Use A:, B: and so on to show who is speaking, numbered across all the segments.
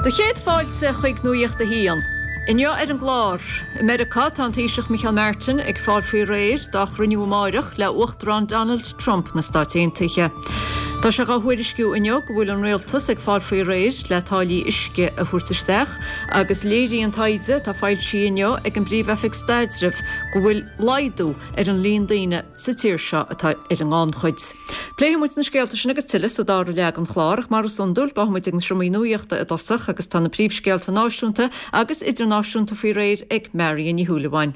A: Do chéad fáilte chuig Nuacht a hAon. Inniu ar an gclár, I Meiriceá tá an Taoiseach Micheál Martin ag fáil faoi réir dá chruinniú amáireach le Uachtarán Donald Trump na Stáit Aontaithe. Tá sé dhá thuairisciú inniu go bhfuil an rialtas ag fáil faoi réir le táillí uisce a thabhairt isteach agus léiríonn taighde atá foilsithe inniu ag an bPríomh-Oifig Staidrimh go bhfuil laghdú ar an líon daoine sa tír seo atá ar an ngannchuid. Pléifidh muid na scéalta sin agus tuilleadh sa dara leath den chlár ach mar is iondúil gabhfaidh muid ag na seomraí nuachta i dtosach agus tá na príomhscéalta náisiúnta agus idirnáisiúnta faoi réir ag Marion Ní Shúilleabháin.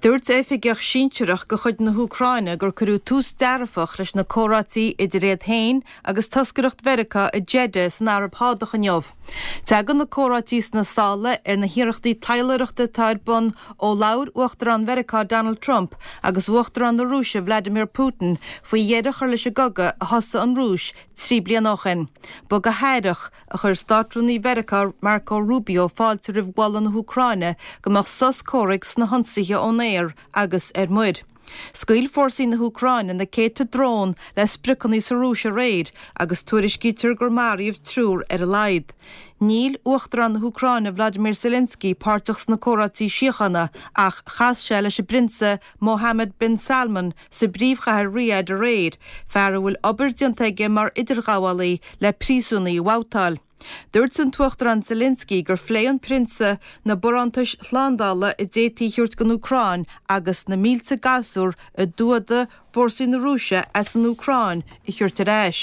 B: Dúirt oifigeach sinsearach de chuid na hÚcráine gur cuireadh tús dearfach leis na comhráití idir iad féin agus toscaireacht Mheiriceá i Jeddah san Araib Shádach inniu. Tagann na comhráití sna sála ar na hiarrachtaí taidhleoireachta atá ar bun ó labhair Uachtarán Mheiriceá Donald Trump agus Uachtarán na Rúise Vladimir Putin faoi dheireadh a chur leis an gcogadh a thosaigh an Rúis 3 bliana ó shin. Ba go haireach a chuir Státrúnaí Mheiriceá Marco Rubio fáilte roimh mholadh na hÚcráine go mbeadh sos comhraic sna hionsaithe ón aer agus ar muir. Scaoil fórsaí na hÚcráine na céadta drón le spriocanna sa Rúis aréir agus tuairiscítear gur maraíodh triúr ar a laghad. Níl Uachtarán na hÚcráine Vladimir Zelensky páirteach sna comhráití síochána ach chas sé leis an bPrionsa Mohammed bin Salman sa bpríomhchathair Riyadh aréir, fear a bhfuil obair déanta aige mar idirghabhálaí le príosúnaigh a bhabhtáil. Dúirt an tUachtarán Zelensky gur phléigh an Prionsa na barántais shlándála a d'fhéadfaí a thabhairt don Úcráin agus na mílte gasúr a d'fhuadaigh fórsaí na Rúise as an Úcráin a thabhairt ar ais.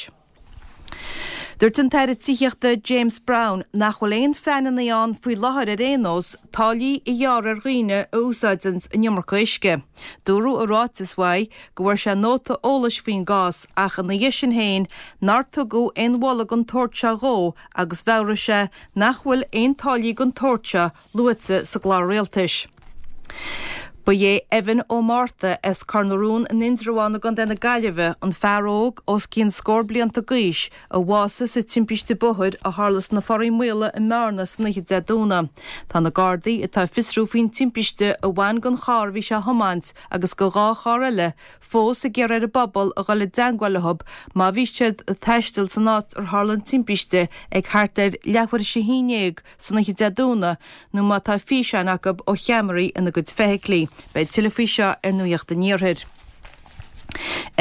B: Dúirt an tAire Tithíochta James Browne nach bhfuil aon phleananna ann faoi láthair ar aon nós táillí a ghearradh ar dhaoine a úsáideanns an iomarca uisce. Dúradh i ráiteas uaidh go bhfuair sé nóta eolais faoin gcás ach ina dhiaidh sin féin nár tugadh aon mholadh den tsórt seo dhó agus mheabhraigh sé nach bhfuil aon táillí den tsórt seo luaite sa gclár rialtais. Ba é Evan Ó Márta as Cor na Rón in Indreabhán i gContae na Gaillimhe an fear óg os cionn scór blianta d'aois a bhásaigh sa timpiste bóthair a tharla sna Foraí Maola i mBearna san oíche Dé Domhnaigh. Tá na Gardaí atá ag fiosrú faoin timpiste a bhain don charr a bhí sé a thiomáint agus do dhá charr eile fós ag iarraidh ar an bpobal a dhul i dteangmháil leo má bhí siad ag taisteal san áit ar tharla an timpiste ag thart ar leathuair tar éis a haon dhéag san oíche Dé Domhnaigh nó má tá físeáin acu ó cheamaraí ina gcuid feithiclí. Beidh tuilleadh faoi seo ar Nuacht an Iarthair.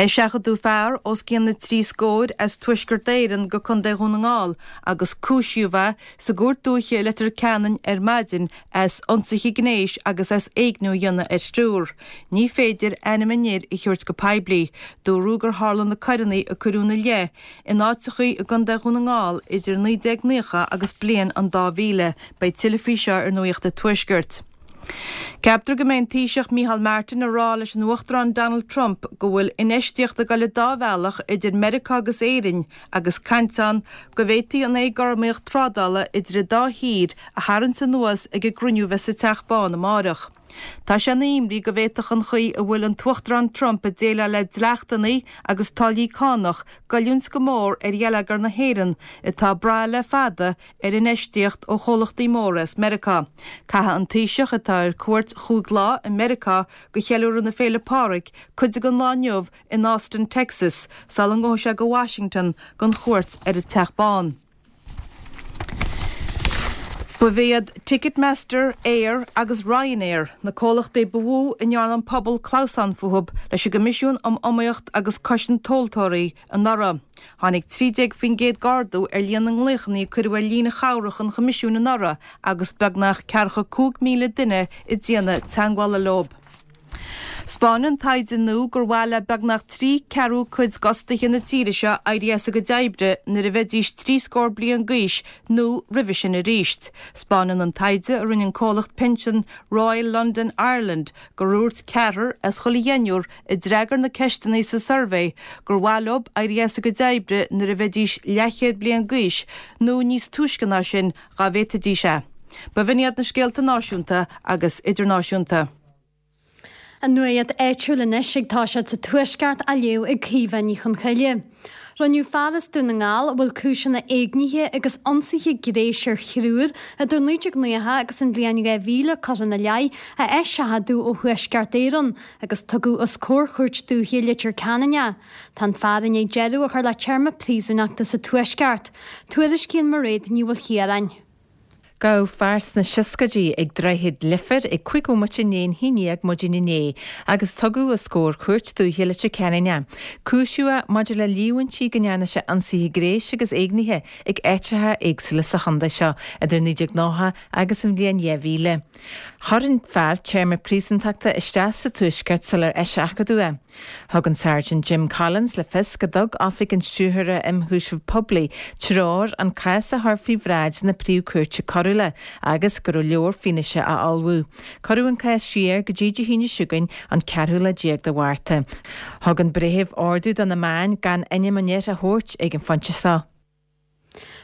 B: Eiseachadadh fear os cionn na dtrí scóir as Tuaisceart Éireann go Contae Dhún na nGall agus cúisíodh é sa gCúirt Dúiche i Leitir Ceanainn ar maidin as ionsaithe gnéis agus as éigniú a dhéanamh ar thriúr. Ní féidir ainm an fhir a thabhairt go poiblí. Dúradh gur tharla na coireanna a cuireadh ina leith in áiteachaí i gContae Dhún na nGall idir 1990 agus bliain an 2000. Beidh tuilleadh faoi seo ar Nuacht an Tuaiscirt. Ceaptar go mbeidh an Taoiseach Micheál Martin ag rá leis an Uachtarán Donald Trump go bhfuil infheistíocht ag dul an dá bhealach idir Meiriceá agus Éirinn agus caint ann go bhféadfaí an éagothromaíocht trádála idir an dá thír a tharraingt anuas ag an gcruinniú a bheas sa Teach Bán amárach. Tá sé ina imní go bhféadfadh an chaoi a bhfuil an tUachtarán Trump ag déileáil le dleachtanna agus táillí cánach goilliúint go mór ar gheilleagar na hÉireann atá ag brath le fada ar infheistíocht ó chomhlachtaí móra as Meiriceá. Caithfidh an Taoiseach, atá ar cuairt chúig lá i Meiriceá do cheiliúradh na Féile Pádraig, cuid den lá inniu in Austin, Texas, sula ngabhfaidh sé go Washington don chuairt ar an Teach Bán. Ba iad Ticketmaster, Aer agus Ryanair na comhlachtaí ba mhó a ndearna an pobal clamhsán fúthu leis an gCoimisiún um Iomaíocht agus Cosaint Tomhaltóirí anuraidh. Tháinig 13% d'ardú ar líon na nglaochanna a cuireadh ar líne chabhrach an Choimisiúin anuraidh agus beagnach ceathracha 5,000 duine ag déanamh teagmhála leo. 'Spáineann taighde nua gur mhaith le beagnach 3 ceathrú cuid d'fhostaithe na tíre seo éirí as a gcuid oibre nuair a bheidís 3 scór bliain d'aois nó roimhe sin arís. 'Spáineann an taighde a rinne an comhlacht pinsean Royal London Ireland gur dhúirt ceathrar as chuile dheichniúr a d'fhreagair na ceisteanna sa suirbhé gur mhaith leo éirí as a gcuid oibre nuair a bheidís leathchéad bliain d'aois nó níos túisce ná sin dá bhféadfaidís é. B'in iad na scéalta náisiúnta agus idirnáisiúnta.
C: An nuacht áitiúil anois ag toiseacht sa Tuaisceart á léamh ag Caoimhe Ní Chonchoille. Rinneadh fear as Dún na nGall a bhfuil cúiseanna éignithe agus ionsaithe gnéis ar thriúr idir 1990 agus an bhliain 2000 curtha ina leith a eiseachadadh ó Thuaisceart Éireann agus tugadh os comhair Chúirt Dúiche Leitir Ceanainn é. Tá an fear i ndiaidh deireadh a chur le téarma príosúnachta sa Tuaisceart. Tuairiscíonn Mairéad Ní Mhaoilchiaráin.
B: Gabhadh fear sna seascaidí ag Droichead Leifir ag 5 bhomaite i ndiaidh an haon dhéag maidin inné agus tugadh os comhair Chúirt Dúiche Leitir Ceanainn é. Cúisíodh é maidir le líomhaintí go ndearna sé ionsaithe gnéis agus éignithe ag áiteacha éagsúla sa chontae seo idir 1990 agus an bhliain 2000. Chuir an fear téarma príosúntachta isteach sa Tuaisceart sular eiseachadadh é. Thug an Sergeant Jim Collins le fios go dtug Oifig an Stiúrthóra Imchúiseamh Poiblí treoir an cás a chur faoi bhráid na Príomh-Chúirte Coiriúla agus go raibh leor fianaise á ullmhú. Cuireadh an cás siar go dtí Dé hAoine seo chugainn, an ceathrú lá déag de Mhárta. Thug an breitheamh ordú do na meáin gan ainm an fhir a thabhairt ag an phointe seo.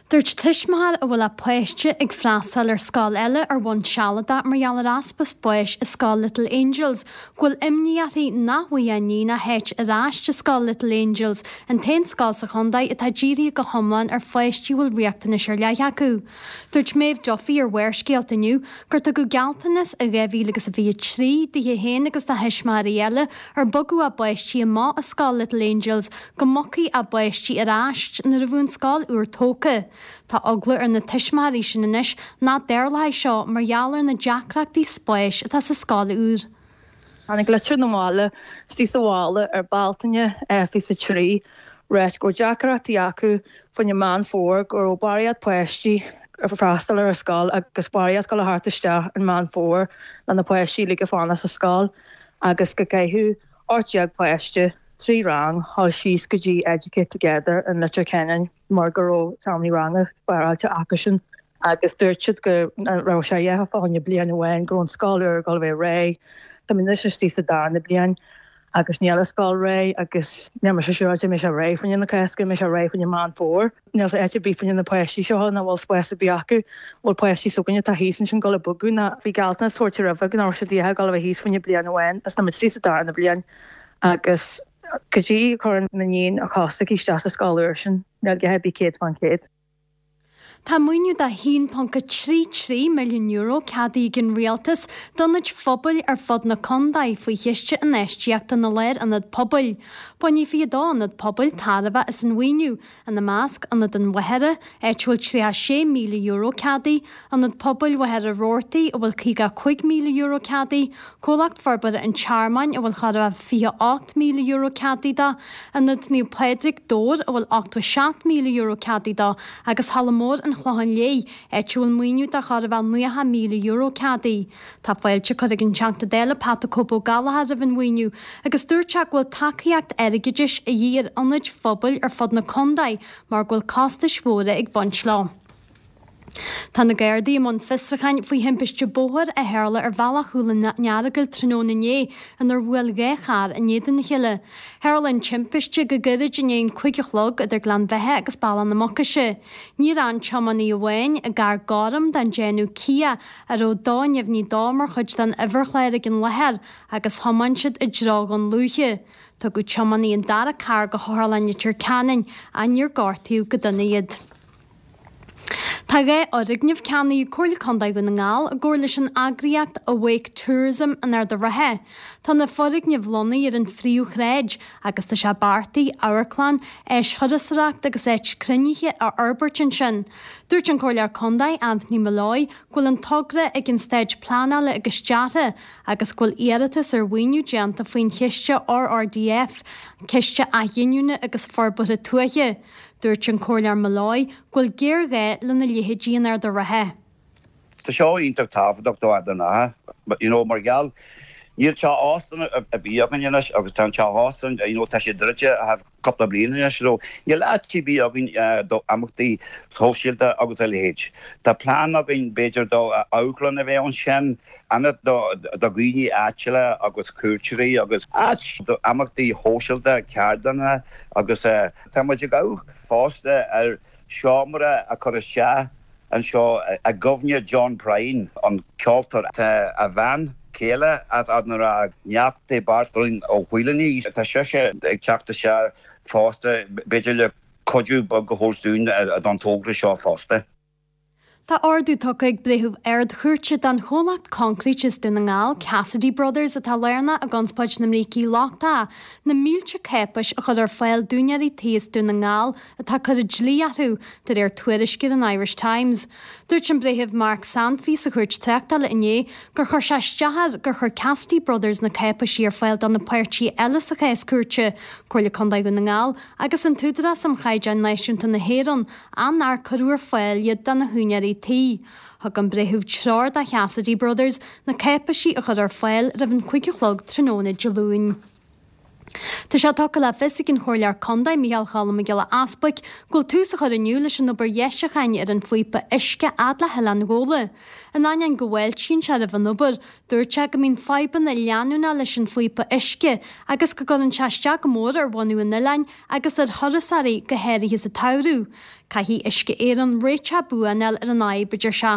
C: Dúirt tuismitheoir a bhfuil a páiste ag freastal ar scoil eile ar bhonn sealadach mar gheall ar easpa spáis i scoil Little Angels go bhfuil imní uirthi nach bhfaighidh a iníon a háit ar ais i scoil Little Angels, an t-aon scoil sa chontae atá dírithe go hiomlán ar pháistí a bhfuil riachtanais ar leith acu. Dúirt Maeve Duffy ar Bharrscéalta inniu gur tugadh gealltanas i 2023 dithe féin agus do thuismitheoirí eile ar bogadh a bpáistí amach as scoil Little Angels go mbogfaí a bpáistí ar ais nuair a bheadh an scoil úr tógtha. Tá eagla ar na tuismitheoirí sin anois nach dtarlóidh seo mar gheall ar na deacrachtaí spáis atá sa scoil úr.
D: Tháinig litir na bhaile istigh sa bhaile ar Bealtaine 23 ráit go raibh deacrachtaí acu faoin Meán Fómhair, go raibh barraíocht páistí ag freastal ar an scoil agus barraíocht dul thart isteach in Meán Fómhair le na páistí uilig a fanacht sa scoil agus go gcaithfeadh 18 páiste, 3 rang, dhul síos go dtí Educate Together in Leitir Ceanainn mar go raibh seomraí ranga spáráilte acusan agus dúirt siad go raibh sé a dhath fá choinne bliain amháin, go raibh an scoil úr ag dul a bheith réidh. Táimid anois istigh sa darna bliain agus níl an scoil réidh agus níl mise siúráilte an mbeidh sé réidh fá choinne na Cásca, an mbeidh sé réidh fá choinne Meán Fómhair. Níl áit ar bith fá choinne na páistí seo nach bhfuil spás ar bith acu. Bhfuil páistí s'againne atá thíos ansin dul ag bogadh ná bhí gealltanas tabhairt roimhe go raibh siad ag dul a bheith thíos fá choinne bliain amháin agus táimid istigh sa darna bliain agus go dtí a chuireann m'iníon a cos aici isteach sa scoil úr sin níl a dhath ar bith 100%.
C: Tá maoiniú de €1.33 milliún ceadaithe ag an Rialtas d'ionaid phobail ar fud na contae faoi Chiste Infheistíochta na Lárionad Pobail. Bainfidh 22 ionad pobail tairbhe as an mhaoiniú, ina measc, Ionad an Mhachaire, áit a bhfuil €36,000 ceadaithe, Ionad Pobail Mhachaire Rabhartaigh, a bhfuil €55,000 ceadaithe, Comhlacht Forbartha an Tearmainn, a bhfuil chóir a bheith €28,000 ceadaithe dó, Ionad Naomh Pádraig, Dobhar, a bhfuil €87,000 ceadaithe dó, agus Halla Mór an Chlocháin Léith, áit a bhfuil maoiniú de chóir a bheith €90,000 ceadaithe. Tá fáilte curtha ag an Teachta Dála Pat 'The Cope Ó Gallchóir roimh an mhaoiniú agus dúirt sé go bhfuil tacaíocht airgeadais a dhíth ar ionaid phobail ar fud na contae mar go bhfuil costais mhóra ag baint leo. Tá na Gardaí i mbun fiosrúcháin faoi thimpiste bóthair a tharla ar bhealach Chúil an Earagail tráthnóna inné inar bhuail 2 charr in éadan a chéile. Tharla an timpiste go gairid i ndiaidh an 5 a chlog idir Gleann Bheatha agus Bealach na Mucaise. Níor fhan tiománaí amháin i gcarr gorm den déanamh Kia a raibh dath neamhní dó mar chuid den uimhirchlár ag an láthair agus thiomáin siad i dtreo Dhún Lúiche. Tugadh tiománaí an dara carr go hOtharlann Leitir Ceanainn ach níor gortaíodh go dona iad. Tá 2 fhoirgneamh ceannaithe ag Comhairle Contae Dhún na nGall i gcomhar leis an eagraíocht Awake Tourism in Ard an Rátha. Tá na foirgnimh lonnaithe ar an phríomhshráid agus tá sé beartaithe amharclann, áis thurasóireachta agus áit cruinnithe a fhorbairt ansin. Dúirt an Comhairleoir Contae Anthony Molloy go bhfuil an togra ag an stáid pleanála agus deartha agus go bhfuil iarratas ar mhaoiniú déanta faoin chiste RRDF, Ciste Athghiniúna agus Forbartha Tuaithe. Dúirt an Comhairleoir Molloy go bhfuil géarghá lena leithéidí in Ard an Rátha.
E: Tá seo iontach tábhachtach do Ard an Rátha, you know, mar gheall níl teach óstáin ar bith againn anois agus tá an teach óstáin, you know, tá sé druidte thar cúpla bliain anois so níl áit ar bith againn do imeachtaí sóisialta agus a leithéid. Tá plean againn b'fhéidir do amharclann a bheith ansin, ionad do dhaoine áitiúla agus cuairteoirí agus áit do imeachtaí shóisialta, ceardlanna agus tá muid ag amharc fosta ar seomra a chur isteach anseo i gcuimhne John Prine, an ceoltóir. Tá a bhean chéile as Ard an Rátha, neacht Beairtlín Ó Faoláin, tá sise ag teacht isteach fosta, b'fhéidir le cuidiú beag a thabhairt dúinn don togra seo fosta.
C: Tá ordú tugtha ag Breitheamh Ard-Chúirte don chomhlacht coincréite as Dún na nGall, Cassidy Brothers, atá lárnach i gconspóid na mbrící lochtacha, na mílte cáipéis a chur ar fáil d'úinéirí tí as Dún na nGall atá cur dlí orthu, de réir tuairisce ar an Irish Times. Dúirt an Breitheamh Mark Sanfey sa Chúirt Tráchtála inné gur chuir sé isteach air gur chuir Cassidy Brothers na cáipéisí ar fáil do na páirtithe eile sa chás cúirte, Comhairle Contae Dhún na nGall agus an tÚdarás um Chaighdeáin Náisiúnta na hÉireann, ach nár cuireadh ar fáil iad do na húinéirí tí. Thug an breitheamh treoir do Chassidy Brothers na cáipéisí a chur ar fáil roimh an 5 a chlog tráthnóna Dé Luain. Tá sé tugtha le fios ag an Chomhairleoir Contae Micheál Choilm Mac Giolla Easbuic go bhfuil tús á chur inniu leis an obair dheisiúcháin ar an phíopa uisce fhad le hOileán Ghabhla. In ainneoin go bhfáiltíonn sé roimh an obair, dúirt sé go mbíonn fadhbanna leanúnach leis an phíopa uisce agus go gcuireann sé isteach go mór ar bhunú an oileáin agus ar thurasóirí, go háirithe sa tsamhradh. Caithfidh Uisce Éireann réiteach buan a fháil ar an fhadhb, a deir sé.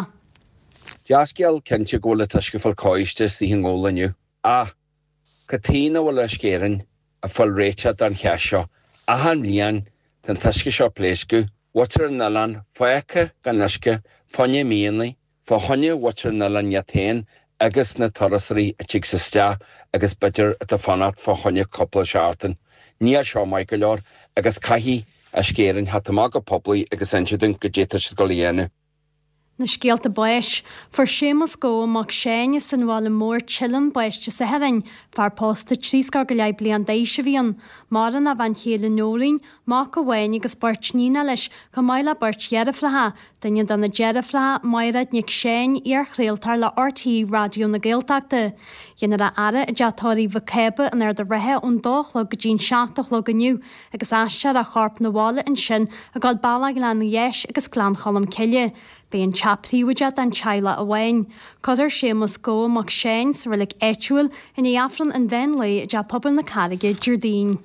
F: Dea-scéal cinnte go bhfuil an t-uisce ag fáil cóiste istigh i nGabhla inniu. Ach, cad chuige nach bhfuil Uisce Éireann ag fáil réiteach don cheist seo? Achan bhliain tá an t-uisce seo ag pléascadh, muintir an oileáin fágtha gan uisce fá choinne míonna. Fá choinne mhuintir an oileáin iad féin agus na turasóirí a tigs isteach agus b'fhéidir atá ag fanacht fá choinne cúpla seachtain. Níl seo maith go leor agus caithfidh Uisce Éireann theacht amach go poiblí agus inse dúinn goidé tá siad ag dul a dhéanamh.
C: Na scéalta báis. Fuair Séamus Gabha mac Seáin as an Bhaile Mór, Teileann, bás Dé Sathairn. Fear pósta 70 bliain d'aois a bhí ann. Maireann a bhean chéile Nóirín, mac amháin agus beirt níonacha leis, chomh maith le beirt dheirfiúracha. Duine de na deirfiúracha, Mairéad Nic Seáin, iar-chraoltóir le RTÉ Raidió na Gaeltachta. Déanfar a fhaire i dteach tórraimh Mhic Cába in Ard an Rátha ón dó a chlog go dtí'n 7 a chlog inniu agus aistreofar a chorp 'na bhaile ansin ag dul bealach Ghleann Gheis agus Gleann Cholm Cille. Beidh an teach príobháideach don teaghlach amháin. Cuirfear Séamus Gabha Mac Seáin sa reilig áitiúil i ndiaidh Aifreann an mheán lae i dTeach Pobail na Carraige Déardaoin.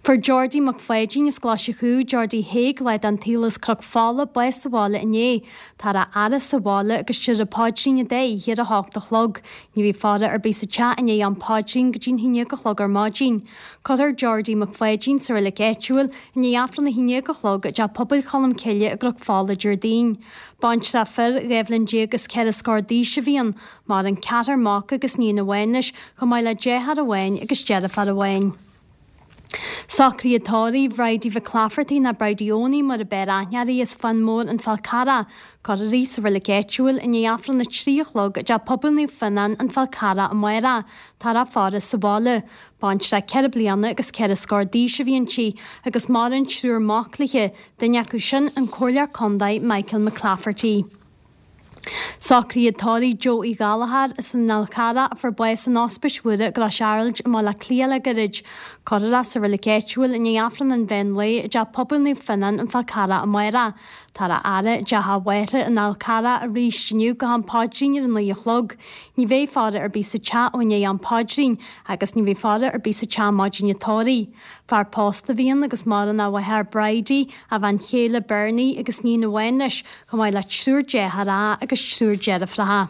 C: Fuair Geordie Mac Pháidín as Glaise Chú, Geordie Thaidhg, lá den tsaol as Cnoc Fola, bás sa bhaile inné. Táthar á fhaire sa bhaile agus déarfar paidrín an dá oíche ar a hocht a chlog. Ní bheidh faire ar bith sa teach i ndiaidh am paidrín go dtí'n haon déag a chlog ar maidin. Cuirfear Geordie Mac Pháidín sa reilig áitiúil i ndiaidh Aifreann a haon déag a chlog i dTeach Pobail Cholm Cille i gCnoc Fola Déardaoin. Baintreach fir, 12 bhliain is ceithre scór d'aois a bhí ann. Maireann ceathrar mac agus níon amháin leis, chomh maith le deartháir amháin agus deirfiúr amháin. Socruithe tórraimh Bhridie Mhic Laifeartaigh nó Bridie Eoiní mar a b'fhearr aithne uirthi as Fionn Mór An Fál Carrach. Cuirfear í sa reilig áitiúil i ndiaidh Aifreann a 3 a chlog i dTeach Pobail Naomh Fionnán An Fál Carrach amárach. Táthar á faire sa bhaile. Baintreach ceithre bliana agus ceithre scór d'aois a bhí inti agus maireann triúr mac léi, duine acu sin an Comhairleoir Contae Michael McClafferty. Socruithe tórraimh Joe Uí Ghallchóir as an Fhál Carrach a fuair bás in Ospís Mhuire i gCrois Araild i mBaile Átha Cliath le gairid. Cuirfear é sa reilig áitiúil i ndiaidh Aifreann an mheán lae i dTeach Pobail Naomh Fionnán, An Fál Carrach amárach. Táthar á fhaire i dteach a mháthara an Fhál Carrach arís inniu go ham paidrín ar a naoi a chlog. Ní bheidh faire ar bith sa teach ó i ndiaidh am paidrín agus ní bheidh faire ar bith sa teach maidin an tórraimh. Fear pósta a bhí ann agus maireann a mháthair Bridie, a bhean chéile Bernie agus níon amháin leis, chomh maith le triúr deartháireacha agus triúr deirfiúracha.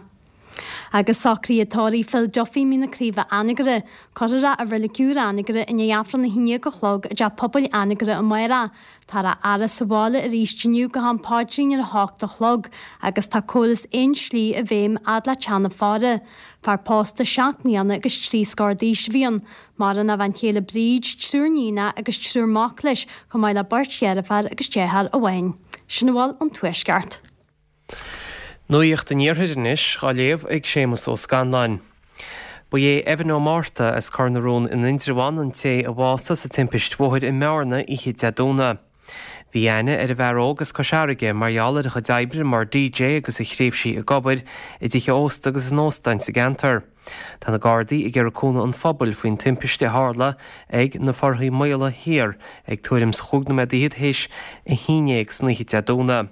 C: Agus socruithe tórraimh Phil Duffy Mín na Craoibhe Anagaire, cuirfear é i Reilig Úr Anagaire i ndiaidh Aifreann a haon déag a chlog i dTeach Pobail Anagaire amárach. Táthar á fhaire sa bhaile arís inniu go ham paidrín ar a hocht a chlog agus tá córas aon slí i bhfeidhm fhad le teach na faire. Fear pósta seacht mbliana agus trí scór d'aois a bhí ann. Maireann a bhean chéile Bríd, triúr níonacha agus triúr mac leis, chomh maith le beirt dheirféar agus deartháir amháin. Sin a bhfuil ón Tuaisceart.
G: Nuacht an Iarthair anois, á léamh ag Séamus Ó Scanláin. Ba é Evan Ó Márta as Cor na Rón in Indreabhán an té a bhásaigh sa timpist bhóthair i mBearna oíche Dé Domhnaigh. Bhí aithne ar an bhfear óg as Cois Fharraige mar gheall ar a chuid oibre mar DJ agus a thréimhsí ag obair i dtithe ósta agus in óstáin sa gceantar. Tá na Gardaí ag iarraidh cúnamh an phobail faoin timpiste a tharla ag na Forthaí Maola Thiar ag tuairim 's chúig nóiméad fhichead théis a haon dhéag san oíche Dé Domhnaigh.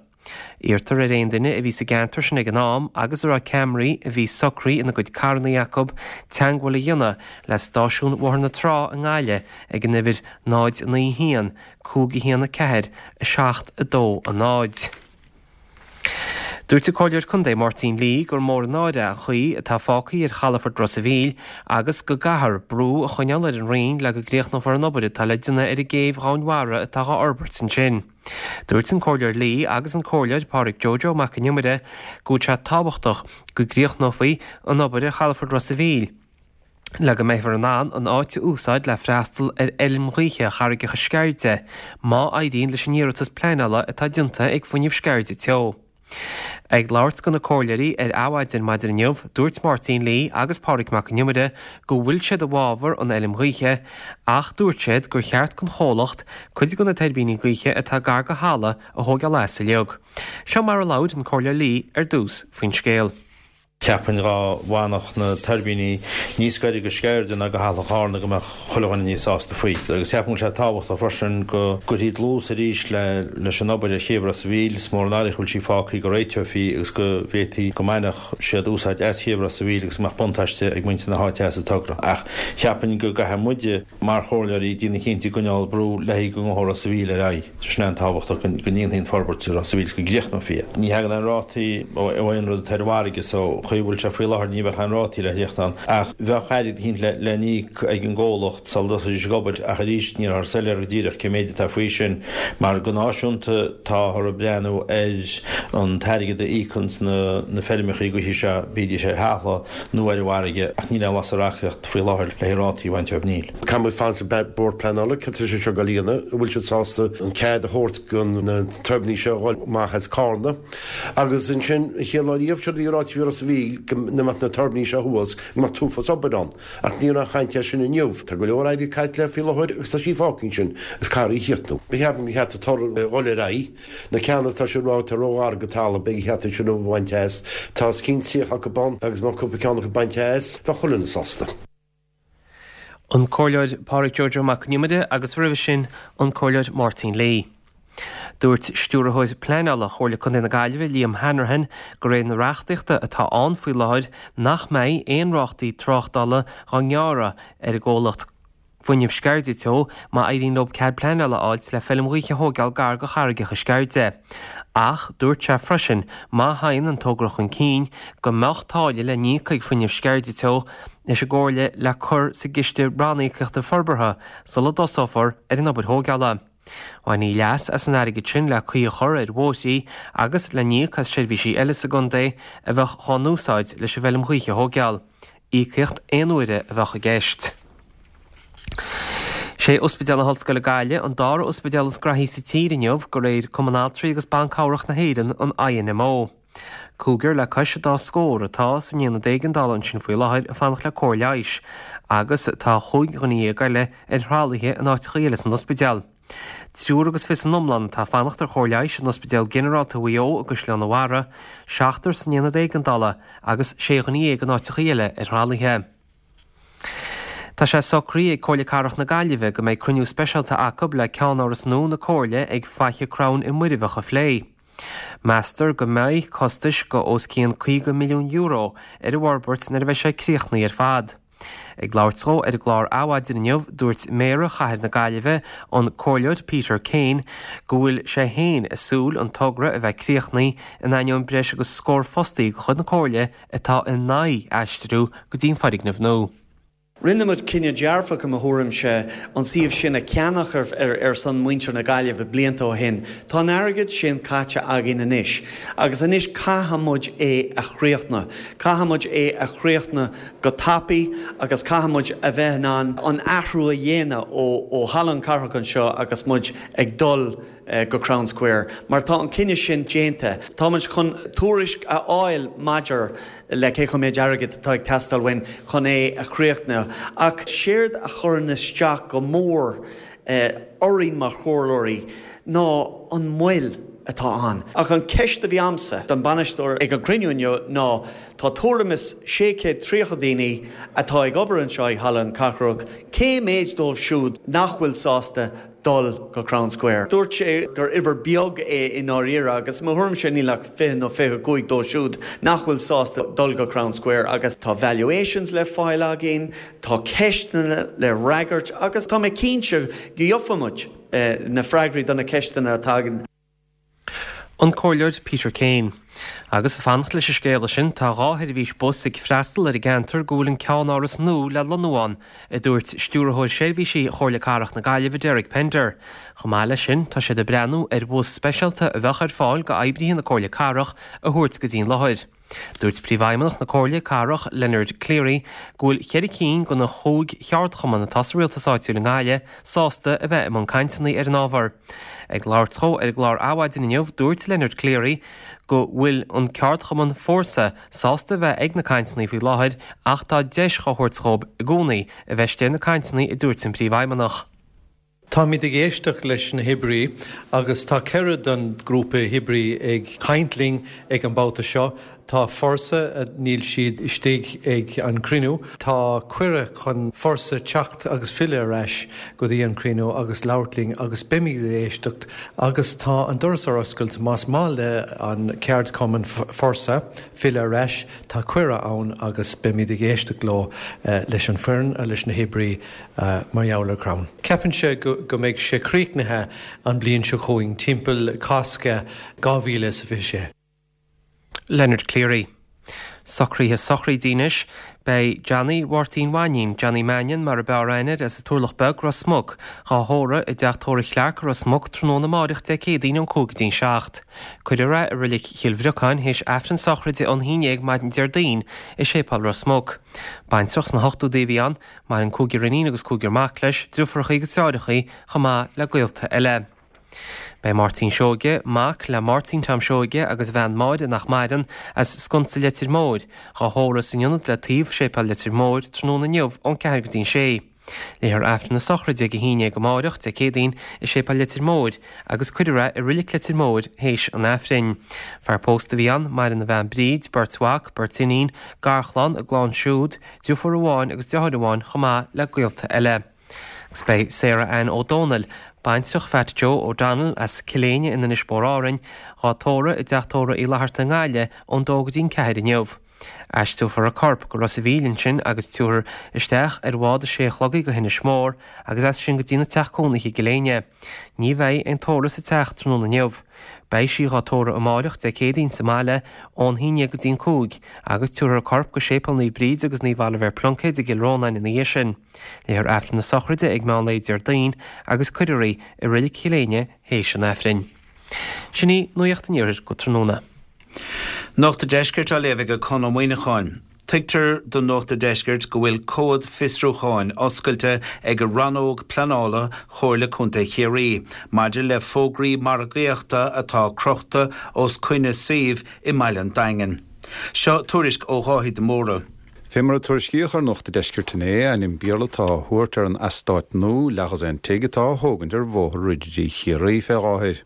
G: Iarrtar ar aon duine a bhí sa gceantar sin ag an am agus a raibh ceamaraí a bhí socraithe ina gcuid carrannaí acu teagmháil a dhéanamh le stáisiún Bhóthar na Trá i nGaillimh ag an uimhir 0 9 1 5 1 4 7 2 0. Dúirt an Comhairleoir Contae Máirtín Lee gur mór an náire an chaoi atá fágtha ar chalafort Ros a' Mhíl agus go gcaithfear brú a choinneáil ar an Roinn le go gcríochnófar an obair atá le déanamh ar an gcéibh dhomhainmhara atá dhá fhorbairt ansin. Dúirt an Comhairleoir Lee agus an Comhairleoir Pádraig Joe Joe Mac an Iomaire go bhfuil sé tábhachtach go gcríochnófaí an obair ar chalafort Ros a' Mhíl le go mbeifear in ann an áit a úsáid le freastal ar fheilm ghaoithe Charraigeacha Sceirde má éiríonn leis an iarratas pleanála atá déanta ag Fuinneamh Sceirde Teo. Ag labhairt do na comhairleoirí ar Adhmhaidin maidin inniu, dúirt Máirtín Lee agus Pádraig Mac an Iomaire go bhfuil siad i bhfabhar an fheilm ghaoithe ach dúirt siad gur cheart don chomhlacht cuid de na tuirbíní gaoithe atá gar do thalamh a thóigeáil as uilig. Seo mar a labhair an Comhairleoir Lee ar dtús faoin scéal.
H: Cheapfainn dhá bhfanfadh na tuirbíní níos gaire go Sceirde ná go Halla Charna go mbeadh chuile dhuine níos sásta faoi. Agus cheapfainn go bhfuil sé tábhachtach freisin go gcuirfí dlús arís leis an obair ar chéibh Ros a' Mhíl. Is mór an náire go bhfuil sí fágtha go réiteofaí agus go bhféadfaí go mbainfeadh siad úsáid as chéibh Ros a' Mhíl agus go mbeadh buntáiste ag muintir na háite as an togra. Ach cheapfainn go gcaithfidh muide mar chomhairleoirí déanamh cinnte ag coinneáil brú le go ngabhfaidh Ros a' Mhíl ar aghaidh. Sin é an tábhachtach go ndéanfaí an forbairt i Ros a' Mhíl is go gcríochnófaí é. Ní thagann aon rátaí ó aon rud atá ar an bhfarraige so chaoi a bhfuil sé faoi láthair ní bheadh aon rátaí le thíocht ann ach bheadh airgead eicínt le n-íoc ag an gcomhlacht sula dtosóidís ag obair ach arís nílthear soiléir go díreach cé méid atá faoi sin mar go náisiúnta táthar ag breathnú ar an t-airgead a íocanns na feirmeachaí gaoithe seo bídís ar thalamh nó ar an bhfarraige ach níl aon bhlas ar reachtaíocht faoi láthair le rátaí a bhaint óibh níl.
I: Caithfidh muid fanacht le Bord Pleanála, cad tá sé seo ag dul a dhéanamh, an bhfuil siad sásta an cead a thabhairt do na tuirbíní seo a dhul amach as Carna. Agus ansin, an chéad lá riamh, séard a bhí ráite faoi Ros a' Mhíl, go mbeadh na tuirbíní seo thuas, go mbeadh t-uafás obair ann. Ach ní raibh aon chaint air sin inniu. Tá go leor airgid caite léi faoi láthair agus tá sí fágtha ansin agus caithfear í a chríochnú. Cheapfainn gur cheart an togra a dhul ar aghaidh. Na ceanna atá siad ag rá atá róghar go talamh, beidh cheart iad sin a bhaint as. Tá os cionn 30 acu ann agus má cúpla ceann acu bainte as, bheadh chuile dhuine sásta.
G: An Comhairleoir Pádraig Joe Joe Mac an Iomaire agus roimhe sin an Comhairleoir Máirtín Lee. Dúirt Stiúrthóir Pleanála Chomhairle Contae na Gaillimhe Liam Hanrahan de réir na reachtaíochta atá ann faoi láthair nach mbeidh aon rátaí tráchtála dhá ngearradh ar an gcomhlacht Fuinneamh Sceirde Teo má éiríonn leo cead pleanála a fháilt le feilm ghaoithe a thóigeáil gar go Charraigeacha Sceirde. Ach dúirt sé freisin má thagann an togra chun cinn go mbeadh táille le n-íoc ag Fuinneamh Sceirde Teo leis an gComhairle le cur sa gCiste Ranníocaíochta Forbartha sula dtosófar ar an obair thóigeála. Bhainfí leas as an airgead sin le caoi a chur ar bhóithrí agus le n-íoc as seirbhísí eile sa gcontae a bheadh dhá n-úsáid leis an bhfeilm ghaoithe a thóigeáil. Íocaíocht aon uaire a bheadh i gceist. Sé Ospidéal na hOllscoile Gaillimh an dara ospidéal is graithí sa tír inniu, de réir Cumann Altraí agus Ban Cabhrach na hÉireann, an INMO. Cúigear le cois an dá scór atá san aonad éigeandála ansin faoi láthair ag fanacht le cóir leighis, agus tá chúig dhuine dhéag eile ar thralaithe in áiteacha eile san ospidéal. Triúr agus fiche san iomlán atá ag fanacht ar chóir leighis in Ospidéal Ginearálta Mhaigh Eo i gCaisleán an Bharraigh, seachtar san aonad éigeandála agus sé dhuine dhéag in áiteacha eile ar thralaithe. Tá sé socraithe ag Comhairle Cathrach na Gaillimhe go mbeidh cruinniú speisialta acu le ceannáras nua na Comhairle ag Faiche Crann i Muirbheach a phlé. Meastar go mbeidh costais go os cionn €50 milliún ar an bhforbairt nuair a bheidh sé críochnaithe ar fad. Ag labhairt dó ar an gclár Adhmhaidin inniu, dúirt Méara Chathair na Gaillimhe, an Comhairleoir Peter Kane, go bhfuil sé féin ag súil an togra a bheith críochnaithe in ainneoin breis agus scór fostaí de chuid na Comhairle atá in aghaidh aistriú go dtí an foirgneamh nua.
J: Rinne muid cinneadh dearfach, i mo thuairimse, an suíomh sin a cheannach ar son muintir na Gaillimhe blianta ó shin. Tá an airgead sin caite againn anois agus anois caithfidh muid é a chríochnú. Caithfidh muid é a chríochnú go tapaidh agus caithfidh muid a bheith in ann an athrú a dhéanamh ó Halla an Cathrach anseo agus muid ag dul go Crown Square mar tá an cinneadh sin déanta. Tá muid chun tuairisc a fháil maidir le cé chomh méid airgid atá ag teastáil uainn chun é a chríochnú ach séard a chuireann isteach go mór orainn mar chomhairleoirí ná an mhoill atá ann. Ach an ceist a bhí a'msa don bainisteoir ag an cruinniú inniu ná Tá tuairim is 630 daoine atá ag obair anseo i Halla an Cathrach, cé méid dóibh siúd nach bhfuil sásta dul go Crown Square? Dúirt sé gur uimhir beag é i ndáiríre agus i mo thuairimse níl ach 20 nó 25 dóibh siúd nach bhfuil sásta dul go Crown Square agus tá valuations le fáil againn, tá ceisteanna le fhreagairt agus tá mé cinnte go gheobhaidh muid na freagraí do na ceisteanna atá againn.
G: An Comhairleoir Peter Kane. Agus ag fanacht leis an scéala sin, tá 2 sheirbhís bus ag freastal ar an gceantar go bhfuil an ceannáras nua le lonnú ann, a dúirt Stiúrthóir Seirbhísí Chomhairle Cathrach na Gaillimhe Derek Pender. Chomh maith leis sin, tá siad ag breathnú ar bhus speisialta a bheadh ar fáil go oibrithe na Comhairle Cathrach a thabhairt go dtí an láthair. Dúirt Príomhfheidhmeannach na Comhairle Cathrach, Leonard Cleary, go bhfuil cheithre cinn de na chúig cheardchumann atá sa rialtas áitiúil i nGaillimh sásta a bheith i mbun cainteanna ar an ábhar. Ag labhairt dhó ar an gclár Adhmhaidin inniu, dúirt Leonard Cleary go bhfuil an ceardchumann Fórsa sásta a bheith ag na cainteanna faoi láthair ach tá deis dhá thabhairt dhóibh i gcónaí a bheith istigh ar na cainteanna a dúirt an Príomhfheidhmeannach.
K: Táimid ag éisteacht leis na hoibrí agus tá 4 den grúpa oibrí ag caint linn ag an babhta seo. Tá Forsa, níl siad istigh ag an cruinniú. Tá cuireadh chun Forsa teacht agus filleadh ar ais go dtí an cruinniú agus labhairt linn agus beimid ag éisteacht agus tá an doras ar oscailt más maith le an ceardchumann Forsa filleadh ar ais, tá cuireadh ann agus beimid ag éisteacht leo leis an foireann, leis na hoibrí. mar gheall ar crann. Ceapaimse go mbeidh sé críochnaithe an bliain seo chugainn, timpeall Cásca 2026.
G: Leonard Cleary. Socruithe sochraide anois. Beidh Johnny Mháirtín Mhainín, Johnny Mannion mar a b'fhearr aithne air, as an Turlach Beag, Ros Muc, dhá thórramh i dteach tórraimh Chlarke i Ros Muc tráthnóna amáireach Dé Céadaoin ón 5 go dtí'n 7. Cuirfear é i Reilig Chill Bhriocáin théis Aifreann sochraide ón 11 maidin Déardaoin i Séipéal Ros Muc. Baintreach sna hochtóidí a bhí ann. Maireann cúigear iníon agus cúigear mac leis, driofúrachaí agus deartháireachaí, chomh maith le gaolta eile. Beidh Máirtín Seoige, mac le Máirtín Tom Seoige agus a bhean Máire nach maireann, as Sconsa Leitir Móir, dhá thórramh san ionad le taobh Séipéal Leitir Móir tráthnóna inniu ón 4 go dtí'n 6. Léifear Aifreann na sochraide ag 11 amáireach, Dé Céadaoin, i Séipéal Leitir Móir agus cuirfear é i Roilic Leitir Móir théis an Aifrinn. Fear pósta a bhí ann, maireann a bhean Bríd, beirt mhac, beirt iníon, garchlann, a gclann siúd, Deirfiúr amháin agus deartháir amháin chomh maith le gaolta eile. Agus beidh Sarah Ann Ó Dónaill, baintreach Phat Joe O'Donnell as Cill Éinne in Inis Mór Árainn, dhá tórramh i dteach tórraimh Uí Fhlatharta i nGaillimh ón dó go dtí'n ceathair inniu. Aistreofar a corp go Ros a' Mhíl ansin agus tabharfar isteach ar bhád a sé a chlog í go hInis Mór agus as sin go dtína teach cónaithe i gCill Éinne. Ní bheidh aon tórramh sa teach tráthnóna inniu. Beidh sí dhá tórramh amáireach Dé Céadaoin sa mbaile ón haon dhéag go dtí'n cúig agus tabharfar a corp go Séipéal Naomh Bríd agus Naomh Oilibhéar Pluincéid i gCill Rónáin ina dhiaidh sin. Léifear Aifreann na sochraide ag meán lae Déardaoin agus cuirfear í i Reilig Chill Éinne théis an Aifrinn. Sin í Nuacht an Iarthair go tráthnóna.
L: Nuacht an Deiscirt á léamh ag Conn Ó Muíneacháin. Tuigtear do Nuacht an Deiscirt go bhfuil comhad fiosrúcháin oscailte ag Rannóg Pleanála Chomhairle Contae Chiarraí maidir le fógraí margaíochta atá crochta os coinne suímh i mbaile an Daingin. Seo tuairisc ó Dháithí de Mórdha.
M: Fé mar a tuairiscíodh ar Nuacht a' Deiscirt inné, ainm Béarla atá á thabhairt ar an eastát nua leathdhosaen tigh atá á thógaint ar Bhóthar Ridirí Chiarraí fé láthair.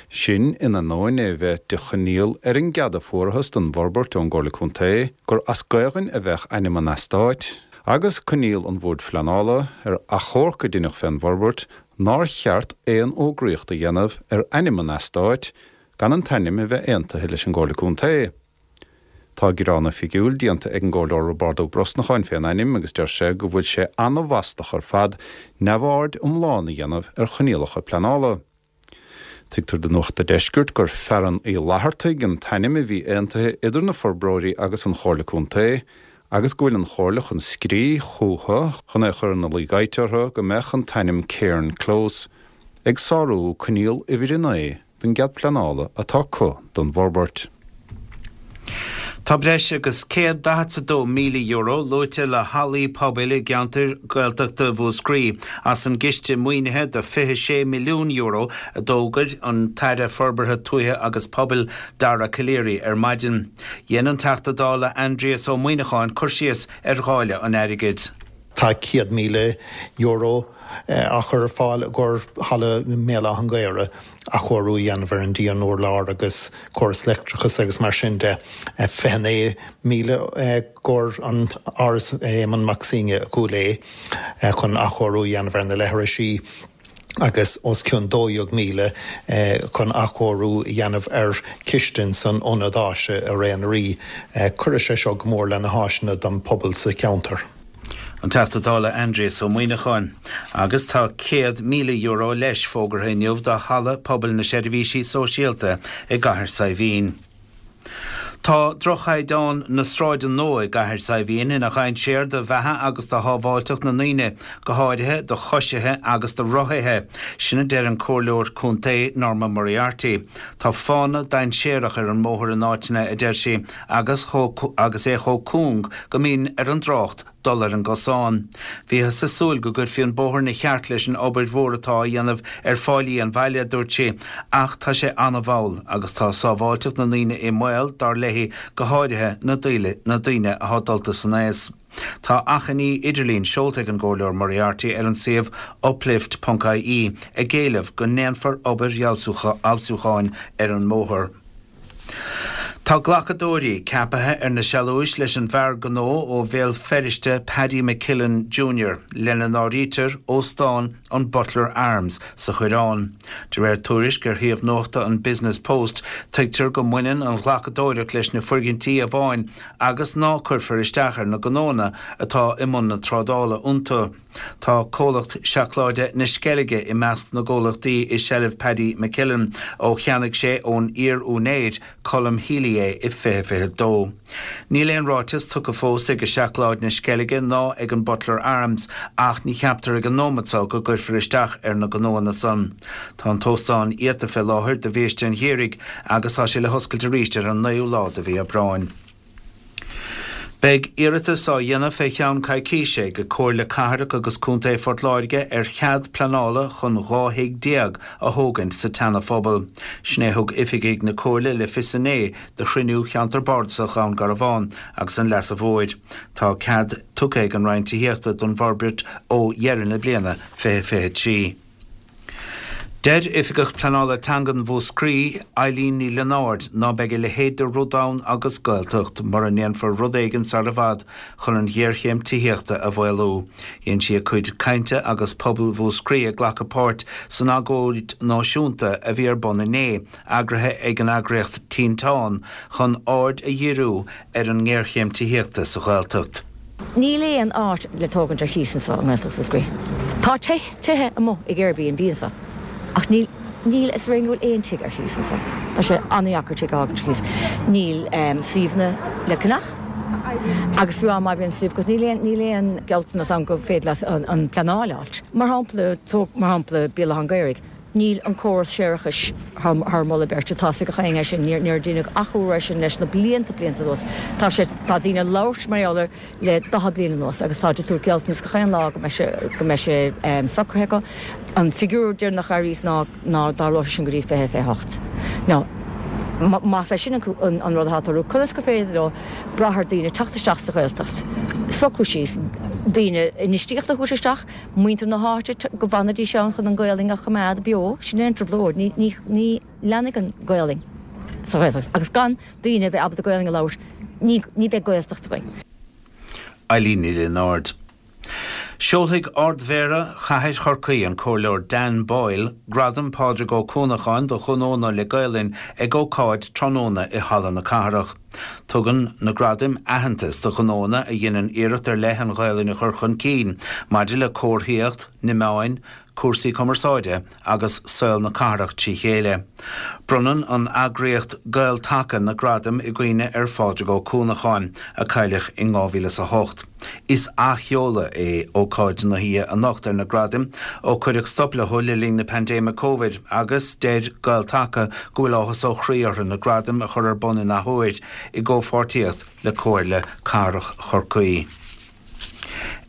M: Sin in ainneoin é bheith de choinníoll ar an gcead a fuarathas don bhforbairt ón gComhairle Contae gur as Gaelainn a bheadh ainm an eastáit, agus coinníoll an Bhoird Phleanála, ar achomharc a deineadh fén bhforbairt, nár cheart aon fhógraíocht a dhéanamh ar ainm an eastáit gan an t-ainm a bheith aontaithe leis an gComhairle Contae. Tá gearán oifigiúil déanta ag an gComhairleoir Roibeárd Ó Brosnacháin fén ainm agus deir sé go bhfuil sé ana-mhaslach ar fad neamhaird iomlán a dhéanamh ar choinníollacha pleanála. Tuigtear do Nuacht a' Deiscirt gur Fearann Uí Fhlathartaigh an t-ainm a bhí aontaithe idir na forbróirí agus an Chomhairle Contae agus go bhfuil an Chomhairle chun scríobh chúthu chun é a chur ina luí gaibhte orthu go mbeadh an t-ainm Cairn Close ag sárú coinníoll uimhir 9 den gcead pleanála atá acu don bhforbairt.
L: Tá breis agus €142,000 luaite le hallaí pobail i gceantair Gaeltachta Mhúscraí as an gciste maoinithe de €26 milliún a d'fhógair an tAire Forbartha Tuaithe agus Pobail Dara Calleary ar maidin. Dhein an Teachta Dála Aindrias Ó Muíneacháin cur síos ar dháileadh an airgid.
N: Tá €100,000 á chur ar fáil i gcomhair halla i mBéal Átha an Ghaorthaidh, athchóiriú a dhéanamh ar an díon urláir agus córas leictreachais agus mar sin de. 29,000 i gcomhair an Áras Éamonn Mac Suibhne i gCúil Aodha chun athchóiriú a dhéanamh ar na leithrisí agus os cionn 12,000 chun athchóiriú a dhéanamh ar chistin san ionad áise i Ré an Rí. Cuirfidh sé seo go mór le na háiseanna don phobal sa cheantar.
L: An Teachta Dála Aindrias Ó Muimhneacháin. Agus tá €100,000 leis fógartha inniu do Halla Pobail na Seirbhísí Sóisialta i gCathair Saidhbhín. Tá droch-chaighdeán na sráide nua i gCathair Saidhbhín ina dhainséar do bheatha agus do shábháilteacht na ndaoine, go háirithe do choisithe agus do rothaithe. Sin a deir an Comhairleoir Contae Norma Moriarty. Tá fána dainséarach ar an mbóthar in áiteanna, a deir sí, agus agus é chomh cúng go mbíonn ar an dtrácht dul ar an gcosán. Bhíothas ag súil go gcuirfí an bóthar ina cheart leis an obair mhór atá á dhéanamh ar fáilí an bhaile, a dúirt sí, ach tá sé an-mhall agus tá sábháilteacht na ndaoine i mbaol, dar léi, go háirithe na na daoine atá dulta san aos. Tá achainí idirlín seolta ag an gComhairleoir Moriarty ar an suíomh uplift ponc ie ag éileamh go ndéanfar obair fheabhsúcháin ar an mbóthar. Tá glacadóirí ceapaithe ar na sealúis leis an bhfear gnó ó Bhéal Feirste Paddy McKillen Junior, lena n-áirítear Óstán an Butler Arms sa Choireán. De réir tuairisc ar shuíomh nuachta an Business Post, tuigtear go mbaineann an ghlacadóireacht leis na foirgintí amháin agus ná cuirfear isteach ar na gnóanna atá i mbun na trádála iontu. Tá comhlacht seacláide na Sceilge i measc na gcomhlachtaí i seilbh Paddy McKillen ó cheannaigh sé ón iar-úinéir, Colm Healy é i 2022. Níl aon ráiteas tugtha fós ag Seacláid na Sceilge ná ag an Butler Arms ach ní cheaptar ag an nóimeat so go gcuirfear isteach ar na gnóanna san. Tá an t-óstán iata fé láthair do bhiaiste an gheimhridh agus tá sé le hoscailt arís ar an naoú lá de mhí Aibreáin. Beidh iarratas á dhéanamh fé cheann coicíse ag Comhairle Cathrach agus Contae Phort Láirge ar chead pleanála chun 12 thigh a thógaint sa tSeana-Phobal. Sin é a thug oifigigh na Comhairle le fios inné do chruinniú Cheantar Bardasach Dhún Garbhán agus an Leasa Mhóir. Tá cead tugtha ag an Roinn Tithíochta don bhforbairt ó dheireadh na bliana 2023. Deir Oifigeach Pleanála Teangan Mhúscraí, Eileen Ní Lionáird, ná beidh a leithéid de rud ann agus Gaeltacht mura ndéanfar rud éigin sar i bhfad chun an ghéarchéim tithíochta a mhaolú. Dhein sí a cuid cainte agus pobal Mhúscraí ag glacadh páirt san agóid náisiúnta a bhí ar bun inné, eagraithe ag an eagraíocht Tinteán, chun aird a dhíriú ar an ngéarchéim tithíochta sa Ghaeltacht.
O: Níl aon áit le tógaint ar chíos anso i nGaeltacht Mhúscraí. Tá tithe amuigh ag Airbnb anso ach níl, níl a fhios againn go bhfuil aon tigh ar chíos anso. Tá sé an-dheacair tigh a fhágaint ar chíos. Níl suíomhanna le ceannach agus fiú má bhíonn suíomh agat níl aon, níl aon gealltanas ann go féidir leat an pleanáil a fháilt. Mar shampla, tóg mar shampla Béal Átha an Ghaorthaidh. Níl an córas séarachais thar moladh beirte. Tá a fhios ag gach éinne é sin. Níor deineadh athrú air sin leis na blianta, blianta anuas. Tá sé, tá daoine ag labhairt mar gheall air le 40 bliain anuas agus táid ag tabhairt gealltanas gach aon lá go mbeidh sé, go mbeidh sé socraithe acu. An figiúr deireanach a airíos ná ná dtarlóidh sé sin go dtí 2028. Now, más é sin an, an rud atá ag tarlú, conas gur féidir leo brath ar daoine teacht isteach sa Ghaeltacht, socrú síos, daoine, infheistíocht a thabhairt isteach, Muintir na háite go bhfanfaidís ann chun an Ghaolainn a choimeád beo, sin é an trioblóid, ní, ní, ní leanfaidh an Ghaolainn sa Ghaeltacht agus gan daoine a bheith ábalta Gaolainn a labhairt, ní, ní bheidh Gaeltacht againn.
L: Eileen Ní Lionáird. Seolfaidh Ard-Mhéara Chathair Chorcaí, an Comhairleoir Dan Boyle, Gradam Pádraig Ó Cuanacháin do Ghnónna le Gaolainn ag ócáid tráthnóna i Halla na Cathrach. Tugann na gradaim aitheantas do ghnóanna a dheineann iarracht ar leith an Ghaelainn a chur chun cinn maidir le comharthaíocht, na meáin, cúrsaí cumarsáide agus saol na cathrach trí chéile. Bronnann an eagraíocht Gael Taca na gradaim i gcuimhne ar Phádraig Ó Cuanacháin, a cailleadh in 2008. Is athsheoladh é ócáid na hoíche anocht ar na gradaim ó cuireadh stop leo le linn na paindéime Covid agus deir Gael Taca go bhfuil áthas ó chroí orthu na gradaim a chur ar bun in athuair i gcomhpháirtíocht le Comhairle Cathrach Chorcaí.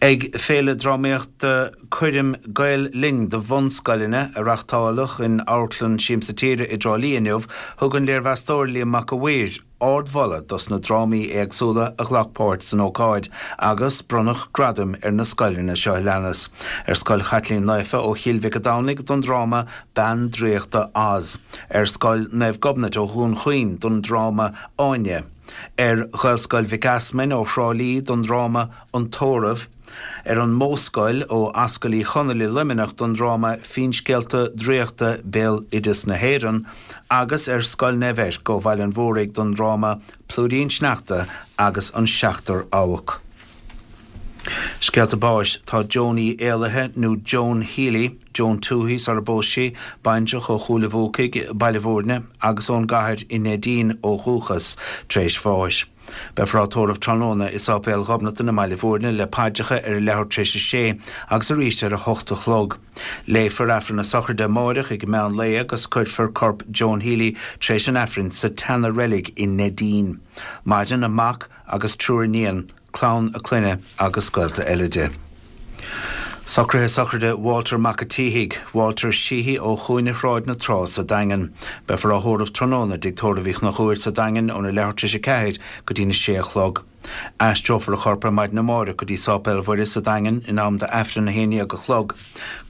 L: Ag Féile Drámaíochta Coirm Gael Linn do bhunscoileanna a reáchtáladh in Amharclann Siamsa Tíre i dTrá Lí inniu, thug an léirmheastóir Liam Mac a' Mhaoir, ardmholadh dos na drámaí éagsúla a ghlac páirt san ócáid agus bronnadh gradaim ar na scoileanna seo a leanas, ar Scoil Chaitlín Naofa ó Chill Mhic a' Domhnaigh don dráma Bean Draíochta Oz, ar Scoil Naomh Gobnait ó Dhún Chaoin don dráma Áine, ar Ghaelscoil Mhic Easmainn ó Thrá Lí don dráma An Tórramh, ar an Modhscoil ó Ascaill Uí Chonaill i Luimneach don dráma Finscéalta Draíochta Béaloideas na hÉireann agus ar Scoil Naomh Eirc ó Bhaile an Mhúraigh don dráma Plúirín Sneachta agus an Seachtar Abhac. Scéalta báis, Tá Joan Uí Éalaithe, nó Joan Healy, Joan Tuohy sar a bpós sí, baintreach ó Chúil a' Bhuacaigh, Baile Bhúirne, agus ón gCathair i Neidín ó dhúchas, tar éis bháis. Beifear á tórramh tráthnóna i Sáipéal Ghobnatan i mBaile Bhúirne le paidreacha ar a leathuair tar éis a sé agus arís ar a hocht a chlog. Léifear Aifreann na Sochraide amáireach ag meán lae agus cuirfear corp Joan Healy tar éis an Aifrinn sa tseana-reilig i Neidín. Maireann a mac agus triúr iníon. clann a clainne agus gaolta eile di. Socruithe sochraide Walter Mac a' tSíthigh, Walter Sheehy ó chúinne Shráid na Trá sa Daingean. Beifear á thórramh tráthnóna i dTigh Tórraimh Uí Chonchúir sa Daingean óna leathuair tar éis a ceathair go dtína sé a chlog. Aistreofar a chorp ar maidin amáireach go dtí Sáipéal Mhuire sa Daingean in am d'Aifreann a haon dhéag a chlog.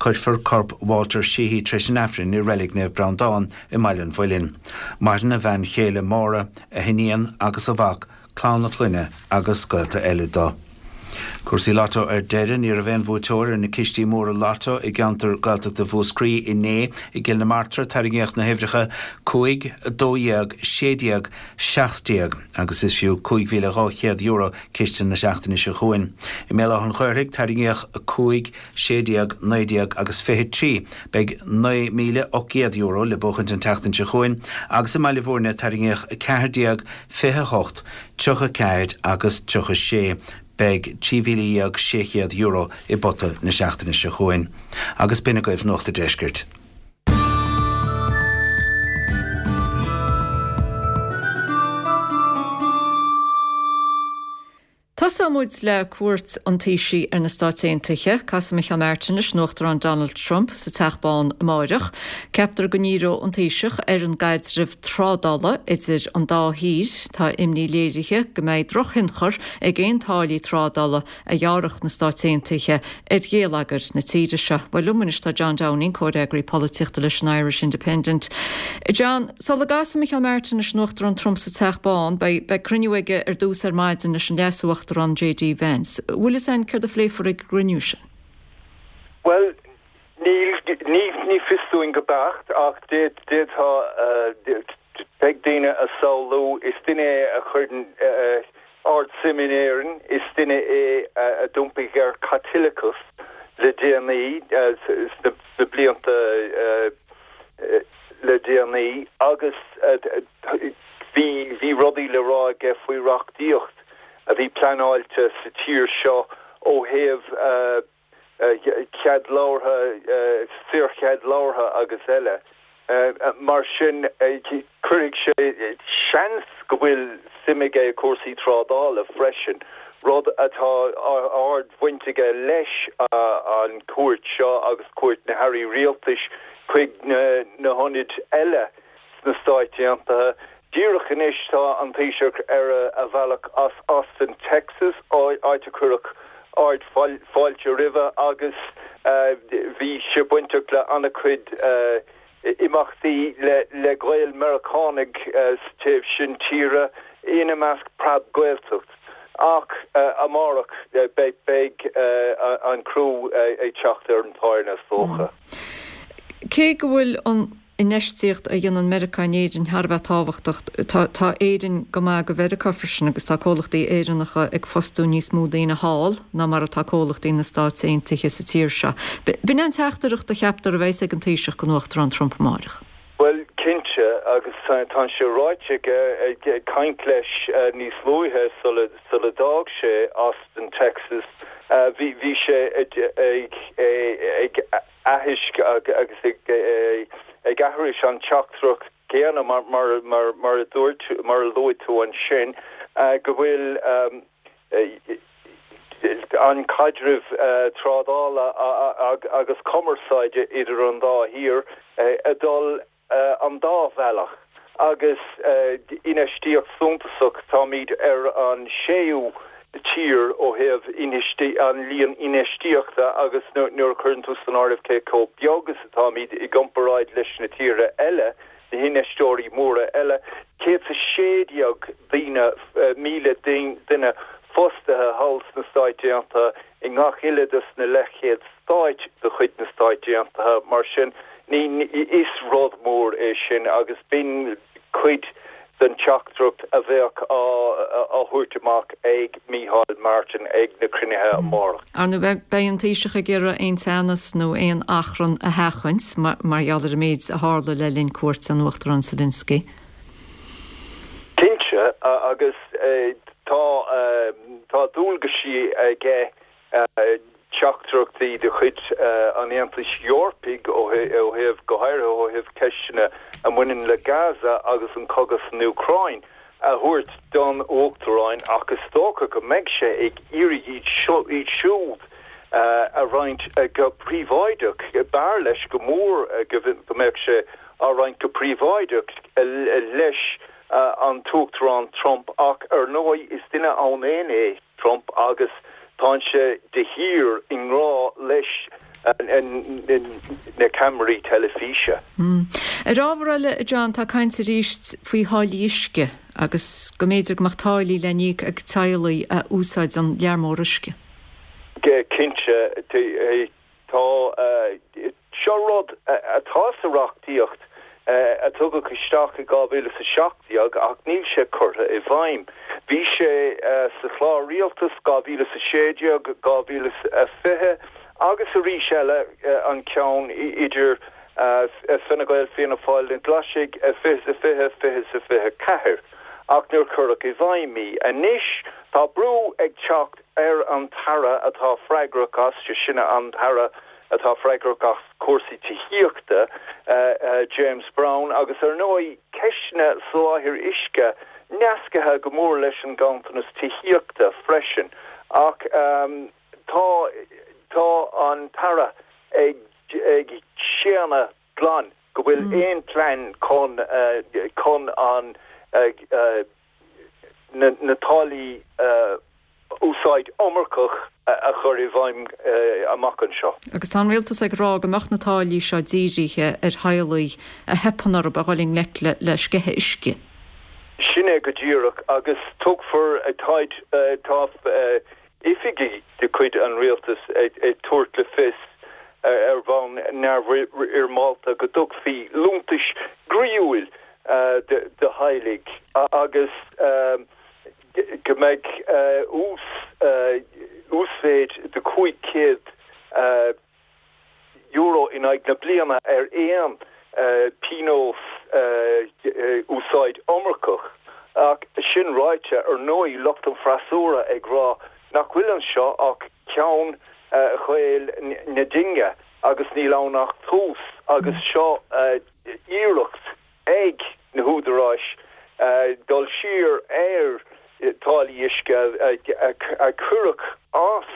L: Cuirfear corp Walter Sheehy tar éis an Aifrinn i Reilig Naomh Breandán i mBaile an Mhuilinn. Maireann a bhean chéile Máire, a hiníon agus a mhac, clann a clainne agus gaolta eile dó. Cúrsaí Lotto ar deireadh, ní raibh aon bhuaiteoir ar na cistí móra Lotto i gceantar Gaeltachta Mhúscraí inné. I gCill na Martra tarraingíodh na huimhreacha 5, 12, 16, 17 agus is fiú €5,200 ciste na seachtaine seo chugainn. I mBéal Átha an Ghaorthaidh tarraingíodh 5, 16, 19 agus 23. Beidh €9,800 le buachaint an tseachtain seo chugainn agus i mBaile Bhúirne tarraingíodh 14, 28, 34 agus 36. Beidh €13,600 i bpota na seachtaine seo chugainn. Agus b'in agaibh Nuacht a' Deiscirt.
A: Tosóidh muid le cuairt an Taoisigh ar na Stáit Aontaithe. Casfaidh Micheál Martin leis an Uachtarán Donald Trump sa Teach Bán amáireach. Ceaptar go ndíreoidh an Taoiseach ar an gcaidreamh trádála idir an dá thír. Tá imní léirithe go mbeidh drochthionchar ag aon táillí trádála a ghearrfadh na Stáit Aontaithe ar gheilleagar na tíre seo. Bhuel, liom anois tá John Downing, comhfhreagraí polaitíochta leis an Irish Independent. John, sula gcasfaidh Micheál Martin leis an Uachtarán Trump sa Teach Bán, beidh cruinniú aige ar dtús ar maidin leis an Leas-Uachtarán JD Vance. Bhfuil fhios a'inn céard a phléifear ag an gcruinniú sin?
P: Bhuel, níl, ní fios dúinn go beacht ach d'fhéadfadh, Beidh daoine a samhlú, is duine é a chuireann ard-suim in Éirinn, is duine é a d'iompaigh ar Chaitliceachas le déanaí, sna blianta le déanaí, agus bhí bhí rudaí le rá aige faoi reachtaíocht a bhí pleanáilte sa tír seo ó thaobh cead labhartha, saorchead labhartha agus eile. Mar sin, cuirfidh sé, seans go bhfuil suim aige i cúrsaí trádála freisin, rud atá ard-bhaint aige leis an chuairt seo agus cuairt na hairí rialtais chuig na hionaid eile sna Stáit Aontaithe. Díreach anois tá an Taoiseach ar a bhealach as Austin, Texas, áit a cuireadh ard fáilte roimhe agus bhí sé bainteach le an-chuid imeachtaí le Gaeil Meiriceánaigh sa taobh sin tíre, ina measc Preab Gaeltacht. Ach amárach beidh an crú ag teacht ar an tairne is dócha.
A: Cé go bhfuil an infheistíocht a dhéanann Meiriceá in Éirinn thar a bheith tábhachtach. Tá Éirinn go maith go Mheiriceá freisin agus tá comhlachtaí Éireannacha ag fostú níos mó daoine thall ná mar atá comhlachtaí na Stáit Aontaithe sa tír seo. B'in é an teachtaireacht a cheaptar a bheas ag an Taoiseach don Uachtarán Trump amáireach.
P: Bhuel, cinnte, agus tá sé ráite aige ag caint leis níos luaithe sula d'fhág sé Austin, Texas, bhí sé ag aithisc agus ag aithris an teachtaireacht chéanna mar a dúirt, mar a luaigh tú ansin, go bhfuil an caidreamh trádála agus cumarsáide idir an dá thír ag dul an dá bhealach agus infheistíocht suntasach, táimid ar an séú tír ó thaobh an líon infheistíochta agus nuair a chuireann tú san áireamh cé chomh beag is atáimid i gcomparáid leis na tíortha eile, na hinfheisteoirí móra eile, 116 daoine, 1,000 duine fostaithe thall sna Stáit Aontaithe i ngach uile dos na leathchéad stáit de chuid na Stáit Aontaithe. Mar sin, ní, is rud mór é sin agus b'in cuid. den teachtaireacht a bheadh á thabhairt amach ag Micheál Martin ag na cruinnithe amárach.
A: Ar ndóigh, beidh an Taoiseach ag iarraidh aon teannas nó aon achrann a sheachaint mar gheall ar an méid a tharla le linn cuairt an Uachtaráin Zelensky.
P: Cinnte, agus tá tá dualgaisí aige teachtaireachtaí de chuid an Aontais Eorpaigh ó thaobh, go háirithe ó thaobh ceisteanna a bhaineann le Gaza agus an cogadh san Úcráin, a thabhairt don Uachtarán ach is dócha go mbeidh sé ag iarraidh iad siúd a roinnt go príobháideach. B'fhearr leis go mór go mbeadh sé á roinnt go príobháideach leis an tUachtarán Trump ach ar ndóigh is duine ann fhéin é Trump agus tánn sé de shíor i ngrá leis na ceamaraí teilifíse.
A: Ar ábhar eile, a John, tá caint arís faoi tháillí uisce agus go mb'fhéidir go mbeadh táillí le n-íoc ag teaghlaigh a úsáideann lear mór uisce.
P: Cinnte, tá. Seo rud atá sa reachtaíocht a tugadh isteach i 2017 ach níl sé curtha i bhfeidhm. Bhí sé sa chlár rialtais 2016, 2020 agus arís eile an ceann idir Fine Gael, Fianna Fáil, na Glaisigh, 2020, 2024 ach níor cuireadh i bhfeidhm í. Anois tá brú ag teacht ar an tAire atá freagrach as, sé sin an tAire atá freagrach as cúrsaí tithíochta, James Browne, agus ar ndóigh ceisteanna soláthair uisce nascaithe go mór leis an ganntanas tithíochta freisin. Ach tá tá an tAire ag ag séanadh glan go bhfuil aon plean chun chun an na táillí úsáid iomarcach a chur i bhfeidhm amach anseo.
A: Agus tá an rialtas ag rá go mbeadh na táillí seo dírithe ar theaghlaigh a theipeann orthu a dhul i ngleic le sceitheadh uisce.
P: Sin é go díreach, agus tugfar, táid, tá oifigigh de chuid an rialtais ag tabhairt le fios ar bhonn neamhfhoirmeálta go dtugfaí liúntais gcroíúil do theaghlaigh agus go mbeidh uasmhéid de €500 in aghaidh na bliana ar aon phionós úsáid iomarcach. Ach sin ráite, ar ndóigh, lucht an freasúra ag rá nach bhfuil anseo ach ceann chaol na dinge agus níl ann ach tús agus seo iarracht ag na húdaráis dul siar ar táillí uisce a cuireadh as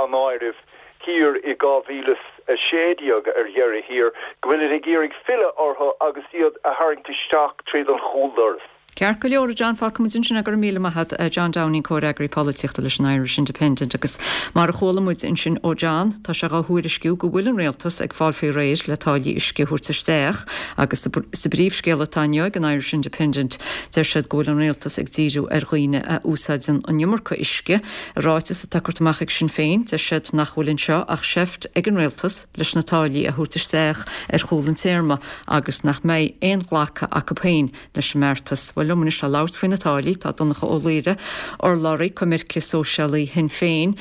P: an áireamh thiar i 2016 ar dheireadh thiar, go bhfuilid ag iarraidh filleadh orthu agus iad a tharraingt isteach tríd an chúldoras.
A: Ceart go leor, a John, fágfaidh muid ansin é, go raibh míle maith agat. John Downing, Comhfhreagraí Polaitíochta leis an Irish Independent. Agus mar a chuala muid ansin ó John, tá sé dhá thuairisciú go bhfuil an Rialtas ag fáil faoi réir le táillí uisce a thabhairt isteach agus sa bpríomhscéal atá inniu ag an Irish Independent deir siad go bhfuil an Rialtas ag díriú ar dhaoine a úsáideann an iomarca uisce. I ráiteas atá curtha amach ag Sinn Féin, deir siad nach bhfuil anseo ach seift ag an Rialtas leis na táillí a thabhairt isteach ar chúl an téarma agus nach mbeidh aon ghlacadh acu féin leis an mbeartas. Bhuel, liom anois le labhairt faoi na táillí, tá Donncha Ó Laoghaire, urlabhraí coimirce sóisialaí Shinn Féin.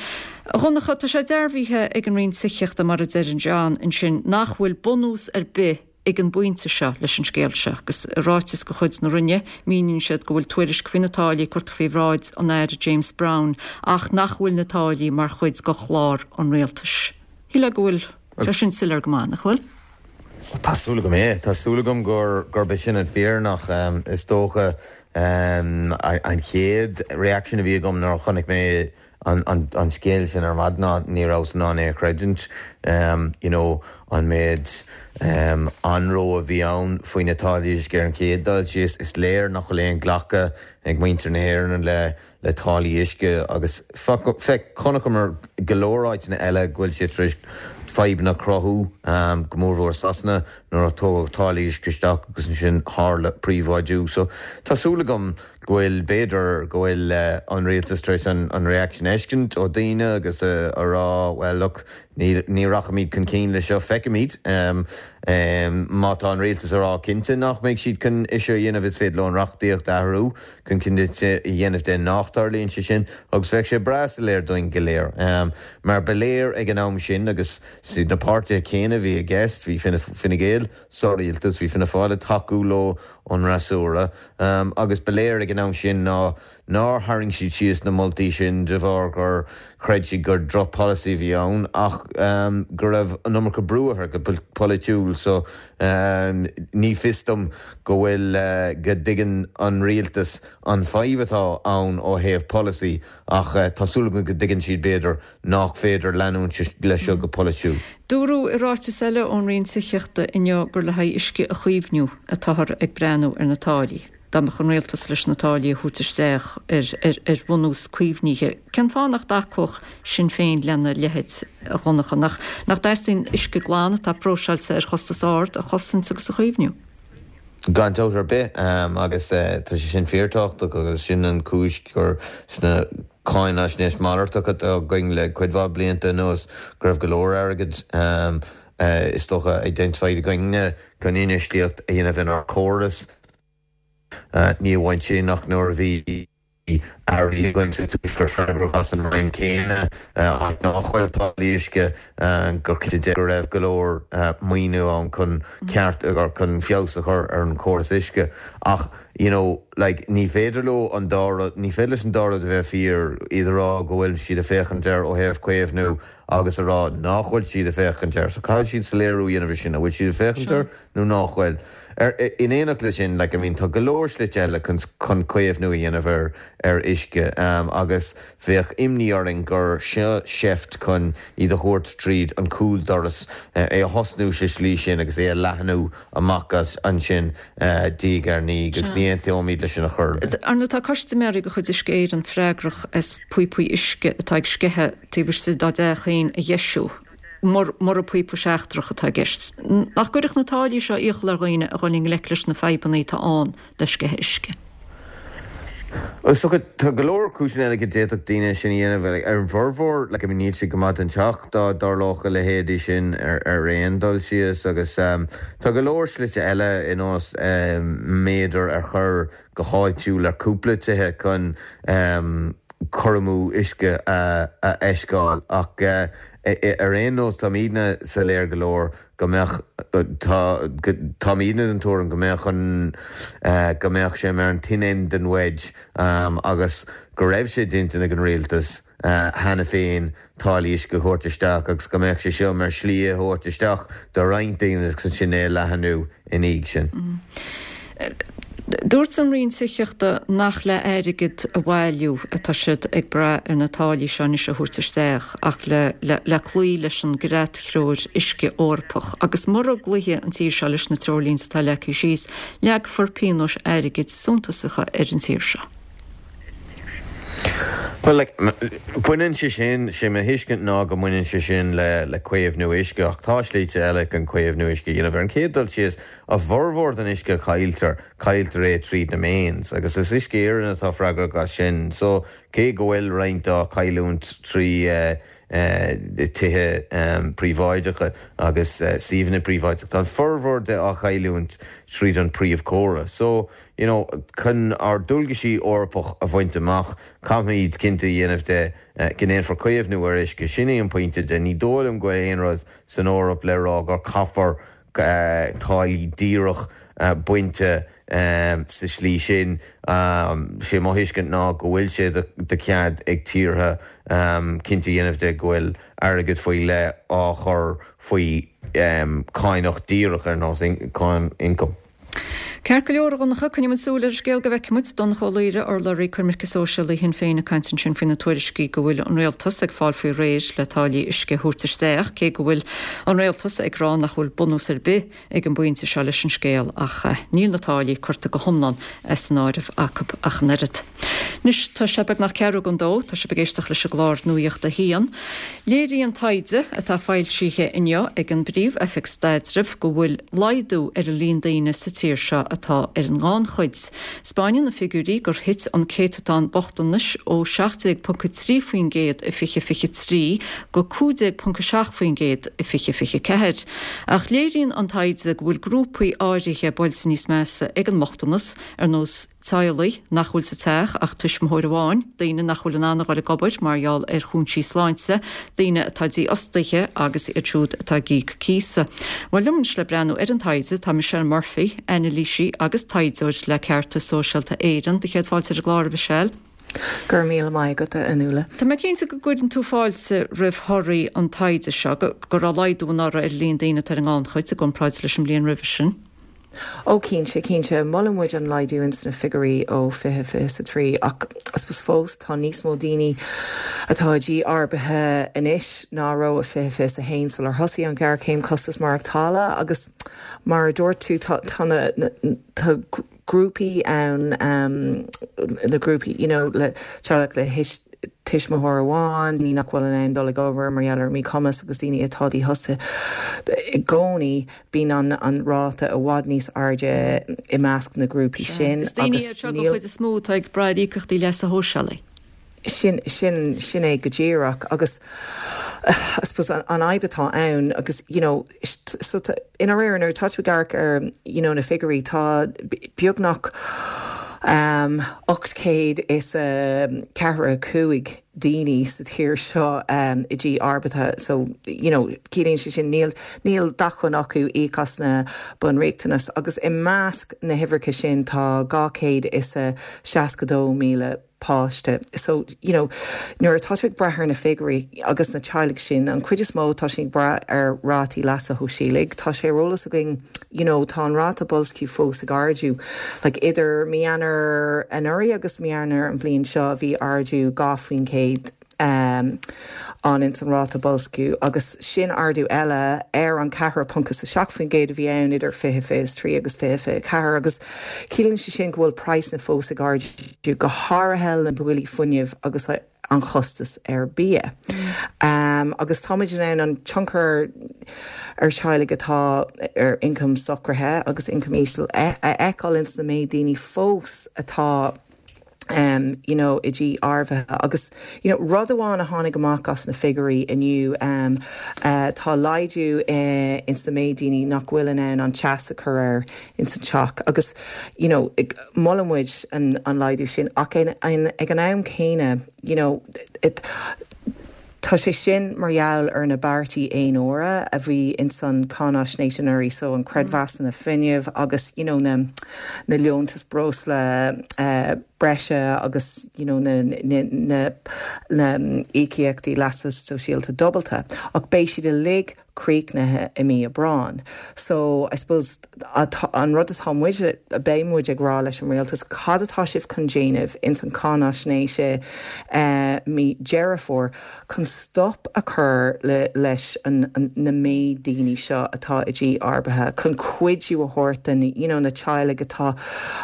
A: A Dhonncha, tá sé dearbhaithe ag an Roinn Tithíochta, mar a deir John ansin, nach bhfuil bunús ar bith ag an bpointe seo leis an scéal seo. Agus i ráiteas de chuid na Roinne, míníonn siad go bhfuil tuairisc faoi na táillí curtha faoi bhráid an Aire James Browne ach nach bhfuil na táillí mar chuid de chlár an Rialtais. Shílfeá go bhfuil sé sin soiléir go maith, nach bhfuil?
Q: Tá súil agam é. Tá súil agam gurb é sin an fírinne ach is dócha an chéad reaction a bhí agam nuair a chonaic mé an scéal sin ar maidin ná ní rabhas in ann é a chreidiúint. You know, an méid anró a bhí ann faoi na táillí uisce ar an chéad dul síos, is léir nach bhfuil aon ghlacadh ag muintir na hÉireann le le táillí uisce agus feic, chonaiceamar go leor áiteanna eile go bhfuil sé tar éis fadhbanna a chruthú, go mórmhór Sasana, nuair a tugadh táillí uisce isteach agus ansin tharla príobháidiú. So tá súil agam. go bhfuil, b'fhéidir go bhfuil an rialtas tar éis an reaction a fheiscint ó daoine agus a rá well look, ní, ní rachaimid chun cinn le seo, feicfimid. Má tá an rialtas a rá cinnte nach mbeidh siad chun é seo a dhéanamh is féidir leo an reachtaíocht a athrú chun cinnte a dhéanamh de nach dtarlaíonn sé sin agus bheadh sé breá soiléir dúinn go léir. Mar ba léir ag an am sin agus is iad na páirtithe céanna a bhí i gceist, bhí Fine Gael sa rialtas, bhí Fianna Fáil ag tacú leo ón fhreasúra agus ba léir ag an am sin ná nár tharraing siad síos na moltaí sin de bharr gur chreid siad gur droch-pholasaí a bhí ann ach go raibh an iomarca brú orthu go polaitiúil so ní fios dom go bhfuil go dtuigeann an rialtas an fadhb atá ann ó thaobh polasaí ach tá súil agam go dtuigeann siad b'fhéidir nach féidir leanúint leis seo go polaitiúil.
A: Dúradh i ráiteas eile ón Roinn Tithíochta inniu gur le haghaidh uisce a chaomhnú atáthar ag breathnú ar na táillí. Dá mbeadh an rialtas leis na táillí a thabhairt isteach ar bhunús caomhnaithe, cén fáth nach dtacódh Sinn Féin lena leithéid, a Dhonncha? Nach dteastaíonn uisce glan atá próiseáilte ar chostas ard a chosaint agus a chaomhnú?
Q: Gan dabht ar bith, agus tá sé sin fíorthábhachtach agus sin an chúis gur sna cáinaisnéis malartach atá againn le cuid mhaith blianta anuas go raibh go leor airgid is dócha identified againne chun infheistíocht a dhéanamh inár córas. Ní amháin sin ach nuair a bhí airí againn sa Tuaisceart freagrach as an Roinn céanna, áit nach bhfuil táillí uisce, gur cinnte de go raibh go leor maoiniú ann chun ceart or chun feabhas a chur ar an chóras uisce. Ach you know like ní féidir leo an dá rud, ní féidir leis an dá rud a bheith fíor, iad a rá go bhfuil siad ag féachaint air ó thaobh caomhnú agus a rá nach bhfuil siad ag féachaint air. So caithfidh siad soiléiriú a dhéanamh ar sin, an bhfuil siad ag féachaint air nó nach bhfuil. Ar, in éineacht leis sin, like, I mean, tá go leor slite eile chun, chun caomhnú a dhéanamh ar, ar uisce agus bheadh imní orainn gur seo seift chun iad a thabhairt tríd an chúldoras, é a thosnú sa slí sin agus é a leathnú amach as ansin diaidh ar ndiaidh agus ní aontóimid leis sin ar chor ar bith.
A: Ar ndóigh, tá custaiméirí de chuid Uisce Éireann freagrach as píopaí uisce atá ag sceitheadh taobh istigh dá dteach féin a dheisiú. mura píopa seachtrach atá i gceist. Nach gcuirfeadh na táillí seo iachall ar dhaoine a dhul i ngleic leis na fadhbanna atá ann le sceitheadh uisce?
Q: Is dócha, tá go leor cúiseanna eile go d'fhéadfadh daoine sin a dhéanamh. Ar an bhformhór, like, I mean, níl sé go maith don teach dá dtarlódh a leithéidí sin ar aon dul síos agus tá go leor slite eile ar nós méadar a chur go háitiúil ar cúpla tithe chun cur amú uisce a fheiceáil ach ar aon nós táimidne soiléir go leor go mbeadh tá táimidne den tuairim go mbeadh an go mbeadh sé mar an thin end den wedge agus go raibh sé d'intinn ag an rialtas cheana féin táillí uisce a thabhairt isteach agus go mbeadh sé seo mar shlí é a thabhairt isteach do roinnt daoine agus ansin é a leathanú ina dhiaidh sin.
A: Dúirt an Roinn Tithíochta nach le airgead a bhailiú atá siad ag brath ar na táillí seo anois a thabhairt isteach ach le cloí leis an gCreat-Threoir Uisce Eorpach agus mura gcloífidh an tír seo leis na treoirlínte atá leagtha síos, leagfar pionóis airgid suntasacha ar an tír seo.
Q: Bhuel, like, baineann sé sin, sé mo thuiscint ná go mbaineann sé sin le, le caomhnú uisce ach tá slite eile chun caomhnú uisce a dhéanamh. Ar an chéad dul síos, a bhformhór den uisce a chailltear, cailltear é tríd na mains agus is Uisce Éireann atá freagrach as sin. So, cé go bhfuil roinnt á chailliúint trí eh, tithe príobháideacha agus suíomhanna príobháideacha, tá an formhór de á chailliúint tríd an príomhchóras. So, you know, chun ár ndualgaisí Eorpach a bhaint amach, caithfimid cinnte a dhéanamh de go ndéanfar caomhnú ar uisce. Sin é an pointe de. Ní dóigh liom go bhfuil aon rud san Eoraip le rá gur caithfear táillí díreach bainte sa slí sin. Sé mo thuiscint ná go bhfuil sé de chead ag tíortha cinnte a dhéanamh de go bhfuil airgead faoi leith á chur faoi cáineach díreach ar nós cáin ioncaim.
A: Ceart go leor, a Dhonncha, coinneoidh muid súil ar an scéal go bhfeicfidh muid. Donncha Ó Laoghaire, urlabhraí coimirce sóisialaí Shinn Féin ag caint ansin faoi na tuairiscí go bhfuil an rialtas ag fáil faoi réir le táillí uisce a thabhairt isteach, cé go bhfuil an rialtas ag rá nach bhfuil bunús ar bith ag an bpointe seo leis an scéal ach níl na táillí curtha go hiomlán as an áireamh acu ach an oiread. Anois tá sé beagnach ceathrú don dó, tá sibh ag éisteacht leis an gclár Nuacht a hAon. Léiríonn taighde atá foilsithe inniu ag an bPríomh-Oifig Staidrimh go bhfuil laghdú ar an líon daoine sa tír seo atá ar an ngannchuid. 'Spáineann na figiúirí gur thit an céatadán bochtanais ó 17.3% i 2023 go 15.7% i 2024. Ach léiríonn an taighde go bhfuil grúpaí áirithe buailte níos measa ag an mbochtanas, ar nós teaghlaigh nach bhfuil sa teach ach tuismitheoir amháin, daoine nach bhfuil in ann a dhul ag obair mar gheall ar chúinsí sláinte, daoine atá dífhostaithe agus iad siúd atá ag íoc cíosa. Bhuel, liom anois le breathnú ar an taighde tá Michelle Murphy, anailísí agus taighdeoir le Ceartas Sóisialta Éireann. Do chéad fáilte ar an gclár, a Mhichelle.
R: Go raibh míle maith agat, a Fhionnuala.
A: Tá mé cinnte go gcuireann tú fáilte roimh thorthaí an taighde seo, go raibh laghdú anuraidh ar an líon daoine atá ar an ngannchuid i gcomparáid leis an mbliain roimhe sin.
R: Ó cinnte, cinnte. Molann muid an laghdú ins na figiúirí ó 2023 ach I suppose fós tá níos mó daoine atá i dtí arbaithe anois ná a raibh i 2021 sular thosaigh an ghéarchéim costas maireachtála agus mar a dúirt tú tá tá na tá grúpaí ann na grúpaí you know le teaghlach le tuismitheoir amháin, daoine nach bhfuil in ann dul ag obair mar gheall ar míchumas agus daoine atá dífhostaithe. I gcónaí bíonn an ráta i bhfad níos airde i measc na grúpaí sin
A: Is daoine iad seo den chuid is mó atá ag brath ar íocaíochtaí leasa shóisialaigh.
R: Sin, sin, sin é go díreach agus I suppose an fhadhb atá ann agus you know so i ndáiríre nuair atá tú ag amharc ar you know na figiúirí tá beagnach um 845 daoine sa tír seo um i dtí arbaithe so you know ciallaíonn sé sin níl níl d'acmhainn acu íoc as na bunriachtanais agus i measc na huimhreacha sin tá 262,000 páiste. So, you know, nuair atá tú ag brath ar na figiúirí agus na teaghlaigh sin, an chuid is mó tá siad ag brath ar rátaí leasa shóisialaigh. Tá sé ar eolas againn, you know, tá an ráta boilsciú fós ag ardú. Like, idir mí Eanáir anuraidh agus mí Eanáir an bhliain seo bhí ardú 2% ann ins an ráta boilsciú agus sin ardú eile ar an 4.7% a bhí ann idir 2023 agus 2024 agus ciallaíonn sé sin go bhfuil praghsanna fós ag ardú, go háirithe na billí fuinnimh agus an chostas ar bia. Agus táimid in ann an tionchar ar teaghlaigh atá ar ioncam socraithe agus ioncam íseal a fheiceáil ins na méid daoine fós atá um you know i dtí arbhaithe agus you know rud amháin a tháinig amach as na figiúirí inniu um eh tá laghdú eh ins na méid daoine nach bhfuil in ann an teas a chur air ins an teach agus you know molann muid an an laghdú sin ach in in ag an am céanna you know it Tá sé sin mar gheall ar na beartaí aon uaire a bhí ins an cáináisnéis anuraidh, so an creidmheasanna fuinnimh agus you know na na liúntais breosla breise agus you know na na na na íocaíochtaí leasa sóisialta dúbailte. Ach beidh siad uilig críochnaithe i mí Aibreáin. So, I suppose, an rud atá muid, a beidh muid ag rá leis an rialtas, cad atá sibh chun déanamh ins an cáináisnéis i mí Deireadh Fómhair chun stop a chur le leis an na méid daoine seo atá i dtí arbaithe, chun cuidiú a thabhairt do na, you know, na teaghlaigh atá,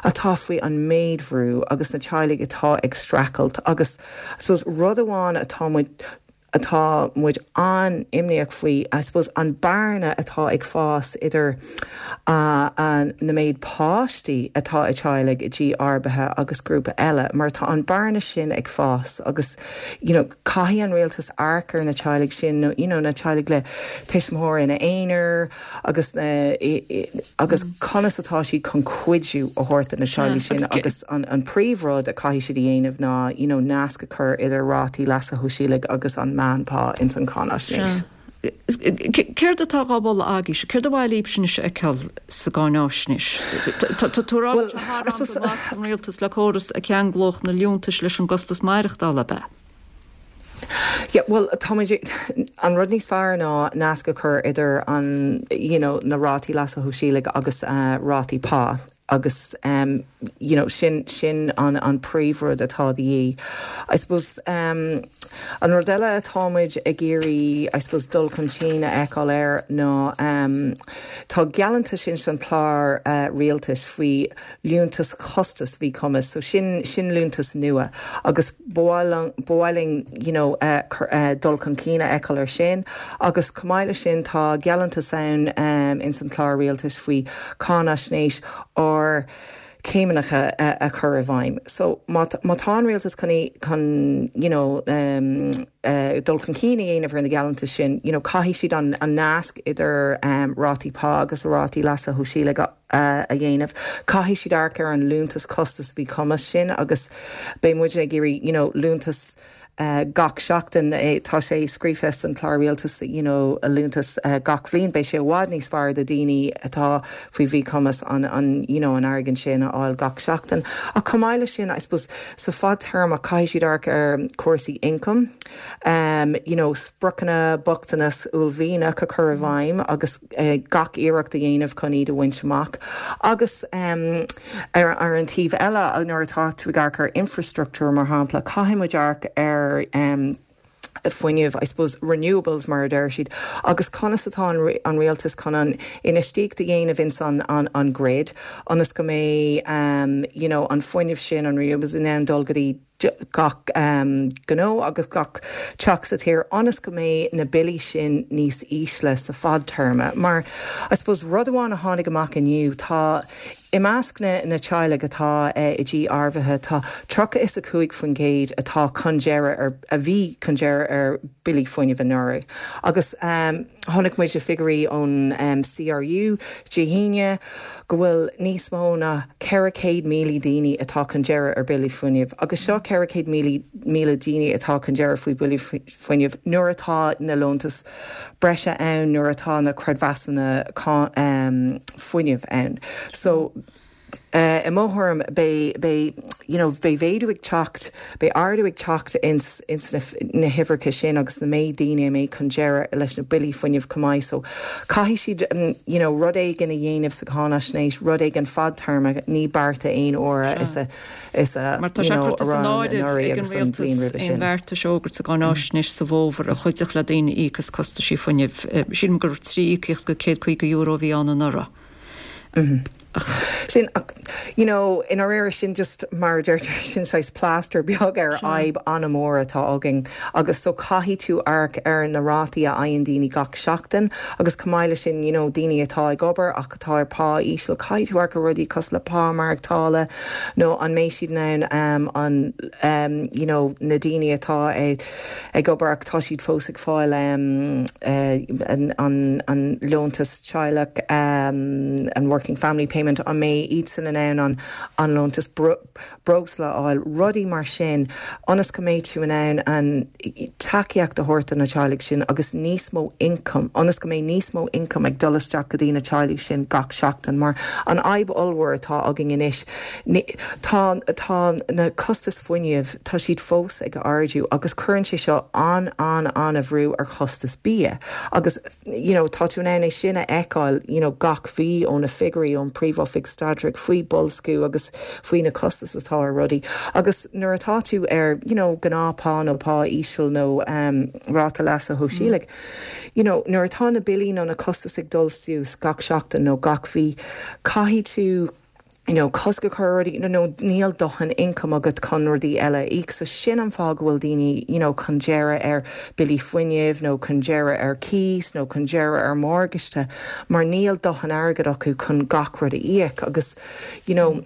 R: atá faoi an méid bhrú agus na teaghlaigh atá ag streachailt agus, I suppose, rud amháin atá muid, atá muid an-imníoch faoi, I suppose, an bearna atá ag fás idir na méid páistí atá i teaghlaigh i dtí arbaithe agus grúpa eile, mar tá an bearna sin ag fás agus, you know, caithfidh an rialtas amharc ar na teaghlaigh sin, nó, you know, na teaghlaigh le tuismitheoir ina aonar, agus na agus conas atá siad chun cuidiú a thabhairt do na teaghlaigh sin agus an príomhrud a caithfidh siad a dhéanamh ná you know nasc a chur idir rátaí leasa shóisialaigh agus an meánphá ins an cháináisnéis.
A: Céard atá á mholadh agaibhse? Céard ba mhaith libhse anois a fheiceáil sa gcáináisnéis? Tá tú ag rá go bhfuil sé thar am go nglacfadh an rialtas le córas a cheanglódh na liúntais leis an gcostas maireachtála, ab ea?
R: Yeah, bhuel, tá muid, an rud níos fearr ná nasc a chur idir an, you know, na rátaí leasa shóisialaigh agus rátaí pá. Agus you know sin sin an an príomhrud atá de dhíth. I suppose an rud eile atá muid ag iarraidh I suppose dul chun cinn a fheiceáil air ná tá gealltanais ins an chlár rialtais faoi liúntas costas mhíchumais so sin sin liúntas nua agus ba mhaith ba mhaith linn you know dul chun cinn a fheiceáil ar sin agus chomh maith leis sin tá gealltanais ann ins an chlár rialtais faoi cáinaisnéis ardchéimneacha a chur i bhfeidhm. So má má tá an rialtas chun chun you know dul chun cinn a dhéanamh ar na gealltanais sin you know caithfidh siad an an nasc idir rátaí pá agus rátaí leasa shóisialaigh a a dhéanamh. Caithfidh siad amharc ar an liúntas costas mhíchumais sin agus beidh muidne ag iarraidh you know liúntas gach seachtain. Tá sé scríofa san chlár rialtais you know liúntas gach bhliain. Beidh sé i bhfad níos fearr do daoine atá faoi mhíchumas an an you know an airgead sin a fháil gach seachtain. Ach chomh maith leis sin I suppose sa fadtéarma caithfidh siad amharc ar cúrsaí ioncaim, you know spriocanna bochtanas uaillmhianach a chur i bhfeidhm agus gach iarracht a dhéanamh chun iad a bhaint amach. Agus ar an taobh eile, nuair atá tú ag amharc ar infrastructúr, mar shampla, caithfidh muid amharc ar fuinneamh, I suppose renewables mar a deir siad, agus conas atá an rialtas chun an infheistíocht a dhéanamh ins an grid ionas go mbeidh you know an fuinneamh sin, an renewables in ann dul go dtí gach gnó agus gach teach sa tír ionas go mbeidh na billí sin níos ísle sa fadtéarma. Mar, I suppose, rud amháin a tháinig amach inniu, tá, i measc na na teaghlaigh atá i dtí ardaithe, tá 35% atá chun deireadh ar, a bhí chun deireadh ar billí fuinnimh anuraidh. Agus chonaic muid na figiúirí ón CRU Dé hAoine, go bhfuil níos mó ná 400,000 daoine atá chun deireadh ar billí fuinnimh, agus seo 400,000 daoine atá chun deireadh faoi bhillí fuinnimh nuair atá na liúntais breise ann, nuair atá na creidmheasanna fuinnimh ann. So, i mo thuairim, beidh, beidh, you know, beidh mhéadú ag teacht, beidh ardú ag teacht ins, ins na, na huimhreacha sin agus na méid daoine a mbeidh chun deireadh leis na billí fuinnimh chomh maith. So, caithfidh siad, you know, rud éigin a dhéanamh sa cháinaisnéis, rud éigin fadtéarma, ní bearta aon uaire is a, is a,
A: Mar tá
R: you
A: sé
R: know,
A: curtha
R: a
A: san
R: raibh
A: áireamh
R: anuraidh
A: ag an
R: agus an bhliain
A: rialtas
R: roimhe
A: aon
R: sin.
A: bheartais a fhógairt sa gcáinaisnéis sa bhfómhar a chuideodh le daoine íoc as costaisí fuinnimh. Sílim gur 3 íocaíocht de €150 a bhí ann anuraidh.
R: Sin, you know, i ndáiríre sin just mar a deirtear sin saghas plaster beag ar fhadhb an-mhór atá againn agus so caithfidh tú amharc ar na rátaí a fhaigheann daoine gach seachtain agus chomh maith leis sin, you know, daoine atá ag obair ach atá ar pá íseal, caithfidh tú amharc ar rudaí cosúil le pá maireachtála nó an mbeidh siad in ann an, you know, na daoine atá ag ag obair ach tá siad fós ag fáil an liúntas teaghlach, an Working Family Payment, an mbeidh iadsan in ann an liúntas breosla a fháil, rudaí mar sin, ionas go mbeidh tú in ann an tacaíocht a thabhairt do na teaghlaigh sin agus níos mó ioncaim, ionas go mbeidh níos mó ioncaim ag dul isteach go dtí na teaghlaigh sin gach seachtain. Mar an fhadhb ollmhór atá againn anois, Tá, tá na costais fuinnimh, tá siad fós ag ardú agus cuireann sé seo an-an-an-bhrú ar chostas bia agus you know tá tú in ann é sin a fheiceáil you know gach mhí ó na figiúirí ón Príomh-Oifig Staidrimh faoi boilsciú agus faoi na costais atá ar rudaí agus nuair atá tú ar you know gnáth-phá nó pá íseal nó um ráta leasa shóisialaigh you know nuair atá na billí nó na costais ag dul suas gach seachtain nó gach mhí caithfidh tú you know, cosc a chur ar rudaí nó níl dóthain income agat chun rudaí eile a íoc. So sin an fáth go bhfuil daoine, you know, chun deireadh ar billí fuinnimh nó chun deireadh ar cíos nó chun deireadh ar morgáiste mar níl dóthain airgead acu chun gach rud a íoc agus, you know,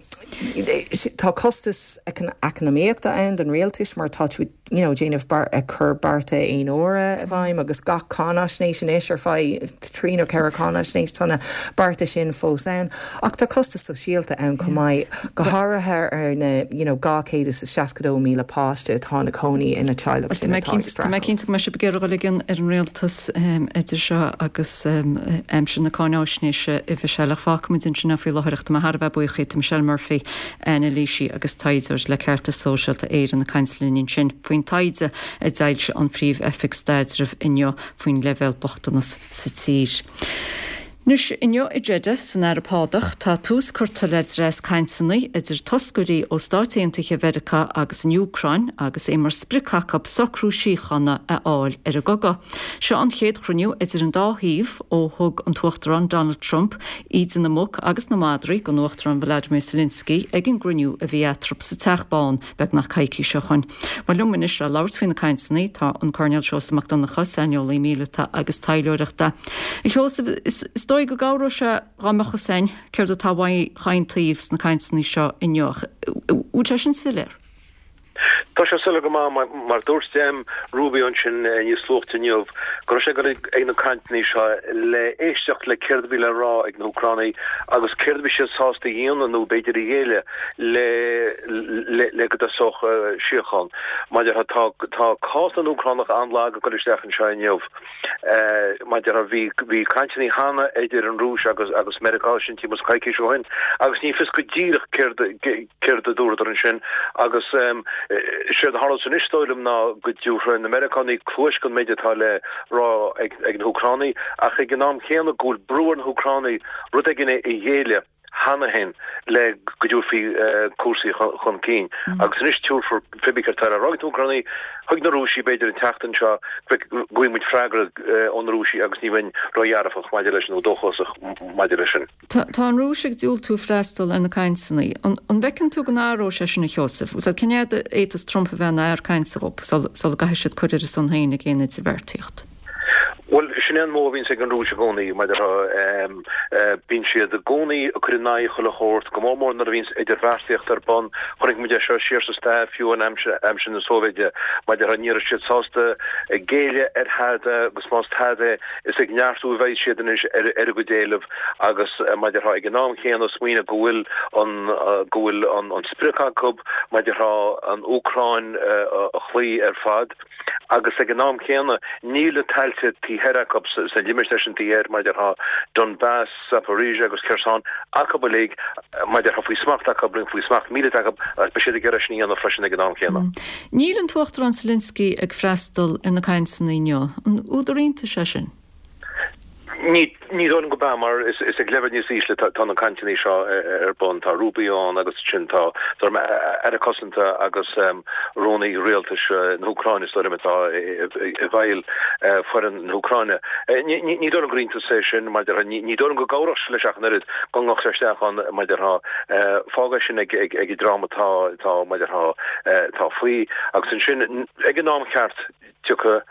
R: tá costas eacnamaíochta ann don rialtas mar tá tú ag you know, déanamh beart, ag cur bearta aon uaire i bhfeidhm agus gach cáinaisnéis anois ar feadh trí nó ceithre cáinaisnéis tá na bearta sin fós ann. Ach tá costas sóisialta ann chomh maith, go háirithe ar na you know, 262,000 páiste atá ina cónaí ina teaghlach sin atá ag
A: Tá mé cinnte go mbeidh sibh ag iarraidh dul i gcion ar an rialtas idir seo agus aimsir na cáinaisnéise, a Mhichelle, ach fágfaimid ansin é faoi láthair ach tá mé thar a bheith buíoch díot, Michelle Murphy. Anailísí agus taighdeoir le Ceartas Sóisialta Éireann ag caint linn ansin faoin taighde a d'fhoilsigh an Phríomh-Oifig Staidrimh inniu faoin leibhéal bochtanas sa tír. Anois, inniu i Jeddah, san Araib Shádach, tá tús curtha le dreas cainteanna idir toscairí ó Stáit Aontaithe Mheiriceá agus an Úcráin agus é mar sprioc acu socrú síochána a fháil ar an gcogadh. Seo an chéad chruinniú idir an dá thaobh ó thug an tUachtarán Donald Trump íde na muc agus na madraí don Uachtarán Volodymyr Zelensky ag an gcruinniú a bhí eatarthu sa Teach Bán beagnach coicís ó shoin. Bhuel liom anois le labhairt faoi na cainteanna tá an Coirnéal Seosamh Mac Donncha, saineolaí míleata agus taidhleoireachta. A Sheosaimh, is dóigh go gcabhródh sé dá mbeadh fhios a'inn céard atá uaidh chaon taobh sna cainteanna seo inniu ach bhfuil sé sin soiléir?
S: Tá sé soiléir go maith, mar dúirt Rubio ansin níos luaithe inniu go raibh sé ag dul ag na cainteanna seo le éisteacht le céard a bhí le rá ag na hÚcránaigh agus céard a bhí siad sásta a dhéanamh nó b'fhéidir a ghéilleadh le le go dtosódh síocháin. Mar a déarfá, tá tá cás na nÚcránach an-lag ag dul isteach anseo inniu. Mar a déarfá, bhí bhí cainteanna cheana idir an Rúis agus agus Meiriceá, sin timpeall is coicís ó shin, agus ní fios go díreach céard céard a dúradar ansin agus séard a tharlós anois, is dóigh liom, ná go dtabharfaidh na Meiriceánaigh cluais don méid atá le rá ag ag na hÚcránaigh ach ag an am chéanna go bhfuil brú ar na hÚcránaigh rud éigin a ghéilleadh. cheana féin le go dtabharfaí cúrsaí chun cinn. Agus anois tabharfar pé ar bith céard atá le rá ag na hÚcránaigh chuig na Rúisigh, b'fhéidir an tseachtain seo, go bhfaighidh muid freagra ó na Rúisigh agus ní bheinn ródhearfach maidir leis nó dóchasach maidir leis sin.
A: Tá an Rúis ag diúltú freastal ar na cainteanna. An bhfeiceann tú go n-athróidh sé sin, a Sheosaimh? Cén fhad a fhéadfas Trump a bheith ina fhear cainte dhób sula gcaithfidh siad cur ar a son féin ag aon idirbheartaíocht?
S: Bhuel, sin é an modh a bhíonns ag an Rúis i gcónaí, mar a déarfá. Bíonn siad i gcónaí ag cur in aghaidh chuile shórt, go mór mór nuair a bhíonns idirbheartaíocht ar bun. Chonaic muid é seo siar sa stair, fiú in aimsir na Sóivéide, mar a déarfá, ní raibh siad sásta géilleadh ar thada agus más tada é, is ag neartú a bheidh siad anois ar a gcuid éileamh agus, mar a déarfá, ag an am chéanna smaoineamh go bhfuil an, go bhfuil an sprioc acu, mar a déarfá, an Úcráin a chloí ar fad. agus ag an am chéanna níl na tailte taobh thoir acu sna limistéir sin taobh thoir, mar a déarfá, Donbass, Zaporizhzhia agus Kherson, acu uilig, mar a déarfá, faoi smacht acu, faoi smacht míleata acu agus beidh siad ag iarraidh sin a dhéanamh freisin ag an am chéanna.
A: Níl an tUachtarán Zelensky ag freastal ar na cainteanna inniu. An údar iontais é sin?
S: Ní dóigh liom gurb ea, mar is ag leibhéal níos ísle atá na cainteanna seo ar bun. Tá Rubio ann agus ansin tá Aire Cosanta agus Rúnaí Rialtais na hÚcráine, is dóigh liom, atá i bhfeighil foireann na hÚcráine. Ní dóigh liom gur iontas é sin, mar a déarfá. Ní dóigh liom go gcabhródh sé leis ach an oiread go ngabhadh sé isteach ann, mar a déarfá. Fág é sin ag an dream atá, mar a déarfá, atá faoi. Agus ansin, ag an am cheart, Tiocfaidh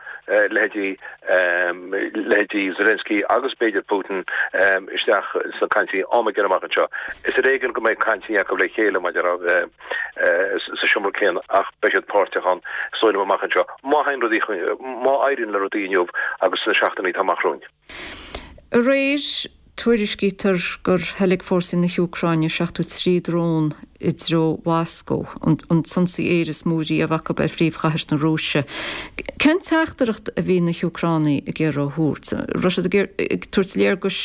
S: leithéidí leithéidí Zelensky agus b'fhéidir Putin isteach sna cainteanna am éigin amach anseo. Is ar éigean go mbeidh cainteanna acu le chéile mar a déarfá sa seomra céanna ach beidh siad páirteach ann is dóigh liom amach anseo má théann rudaí má éiríonn le rudaí inniu agus sna seachtainí atá amach romhainn.
A: Aréir, tuairiscítear gur theilg fórsaí na hÚcráine 73 drón i dtreo Mhoscó, an t-ionsaí aeir is mó riamh acu ar phríomhchathair na Rúise. Cén teachtaireacht a bhí na hÚcránaigh ag iarraidh a thabhairt? An raibh siad ag tabhairt léargais,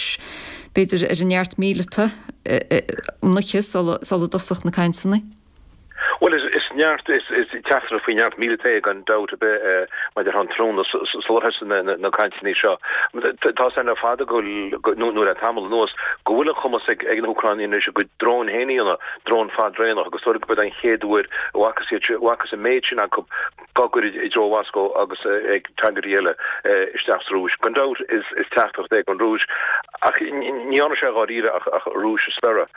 A: b'fhéidir, ar a neart míleata an oíche sula dtosódh na cainteanna?
S: Bhuel, is neart, is teachtaireacht faoi neart míleata é gan dabht ar bith maidir an tráthnóna sular thosaigh na cainteanna seo. Tá 's againn le fada go bhfuil, nó le tamall anuas, go bhfuil an cumas ag na hÚcránaigh anois a gcuid dróin féin a dhéanamh, dróin fadraonach, agus dóigh liom gurb é an chéad uair a bhfacthas iad, a bhfacthas an méid sin acu á gcur i dtreo Mhoscó agus ag targaidí eile isteach sa Rúis. Gan dabht is teachtaireacht é don Rúis, ach ní dhéanfaidh sé dháiríre ach Rúis a spiorradh.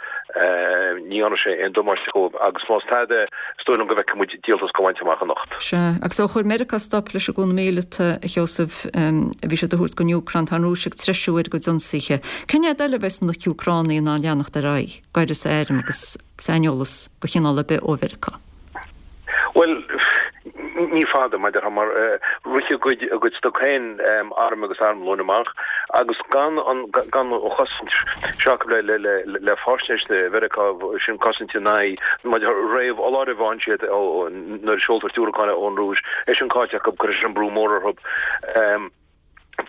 S: Ní dhéanfaidh sé aon damáiste dhóibh agus más tada é, is dóigh liom go bhfeicfidh muid díoltas á bhaint amach anocht.
A: Sea, agus ó chuir Meiriceá stop leis an gcúnamh míleata, a Sheosaimh, a bhí siad a thabhairt don Úcráin, tá an Rúis ag treisiú ar a gcuid ionsaithe. Cén fhad eile a bheas na hÚcránaigh in ann leanacht ar aghaidh, d'uireasa airm agus saineolas de chineál ar bith ó Mheiriceá?
S: Bhuel, ní fada, mar a déarfá, mar rith a gcuid, a gcuid stoc féin airm agus armlóin amach agus gan an, gan an chosaint seo acu le, le, le, le faisnéis Mheiriceá, sin cosaint in aghaidh, mar a déarfá, réamhfholáireamh a fhaigheann siad ó, nuair a seoltar diúracáin ón Rúis, é sin caillte acu, cuirfidh sin brú mór orthu.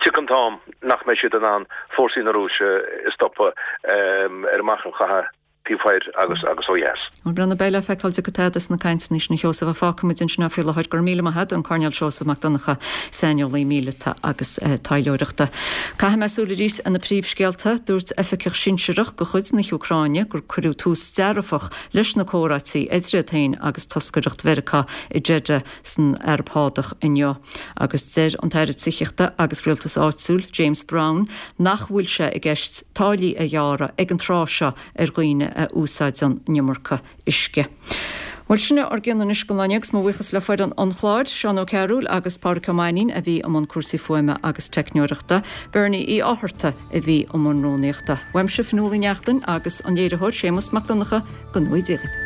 S: Tiocfaidh an t-am nach mbeidh siad in ann fórsaí na Rúise a stopadh ar an machaire chatha. Taobh thoir agus agus ó dheas.
A: Bhuel, breathnaigh, beidh le feiceáil an dtiocfaidh tada as na cainteanna sin a Sheosaimh ach fágfaidh muid ansin é faoi láthair. Go raibh míle maith agat, an Coirnéal Seosamh Mac Donncha, saineolaí míleata agus taidhleoireachta. Caithfidh mé súil arís ar na príomhscéalta. Dúirt oifigeach sinsearach de chuid na hÚcráine gur cuireadh tús dearfach leis na comhráití idir iad féin agus toscaireacht Mheiriceá i Jeddah san Araib Shádach inniu. Agus deir an tAire Tithíochta agus Rialtais Áitiúil, James Browne, nach bhfuil sé i gceist táillí a ghearradh ag an tráth seo ar dhaoine a úsáideann an iomarca uisce. Bhuel, sin é ár gcion anois don lá inniu agus mo bhuíochas le foireann an chláir, Seán Ó Cearúil agus Pádraic Ó Mainnín a bhí i mbun cúrsaí fuaime agus teicneoireachta, Bernie Uí Fhátharta a bhí i mbun rúnaíochta. Uaimse, Fionnuala Uí Neachtain agus an léiritheoir Séamus Mac Donncha, go ngnóthaí Dia dhaoibh.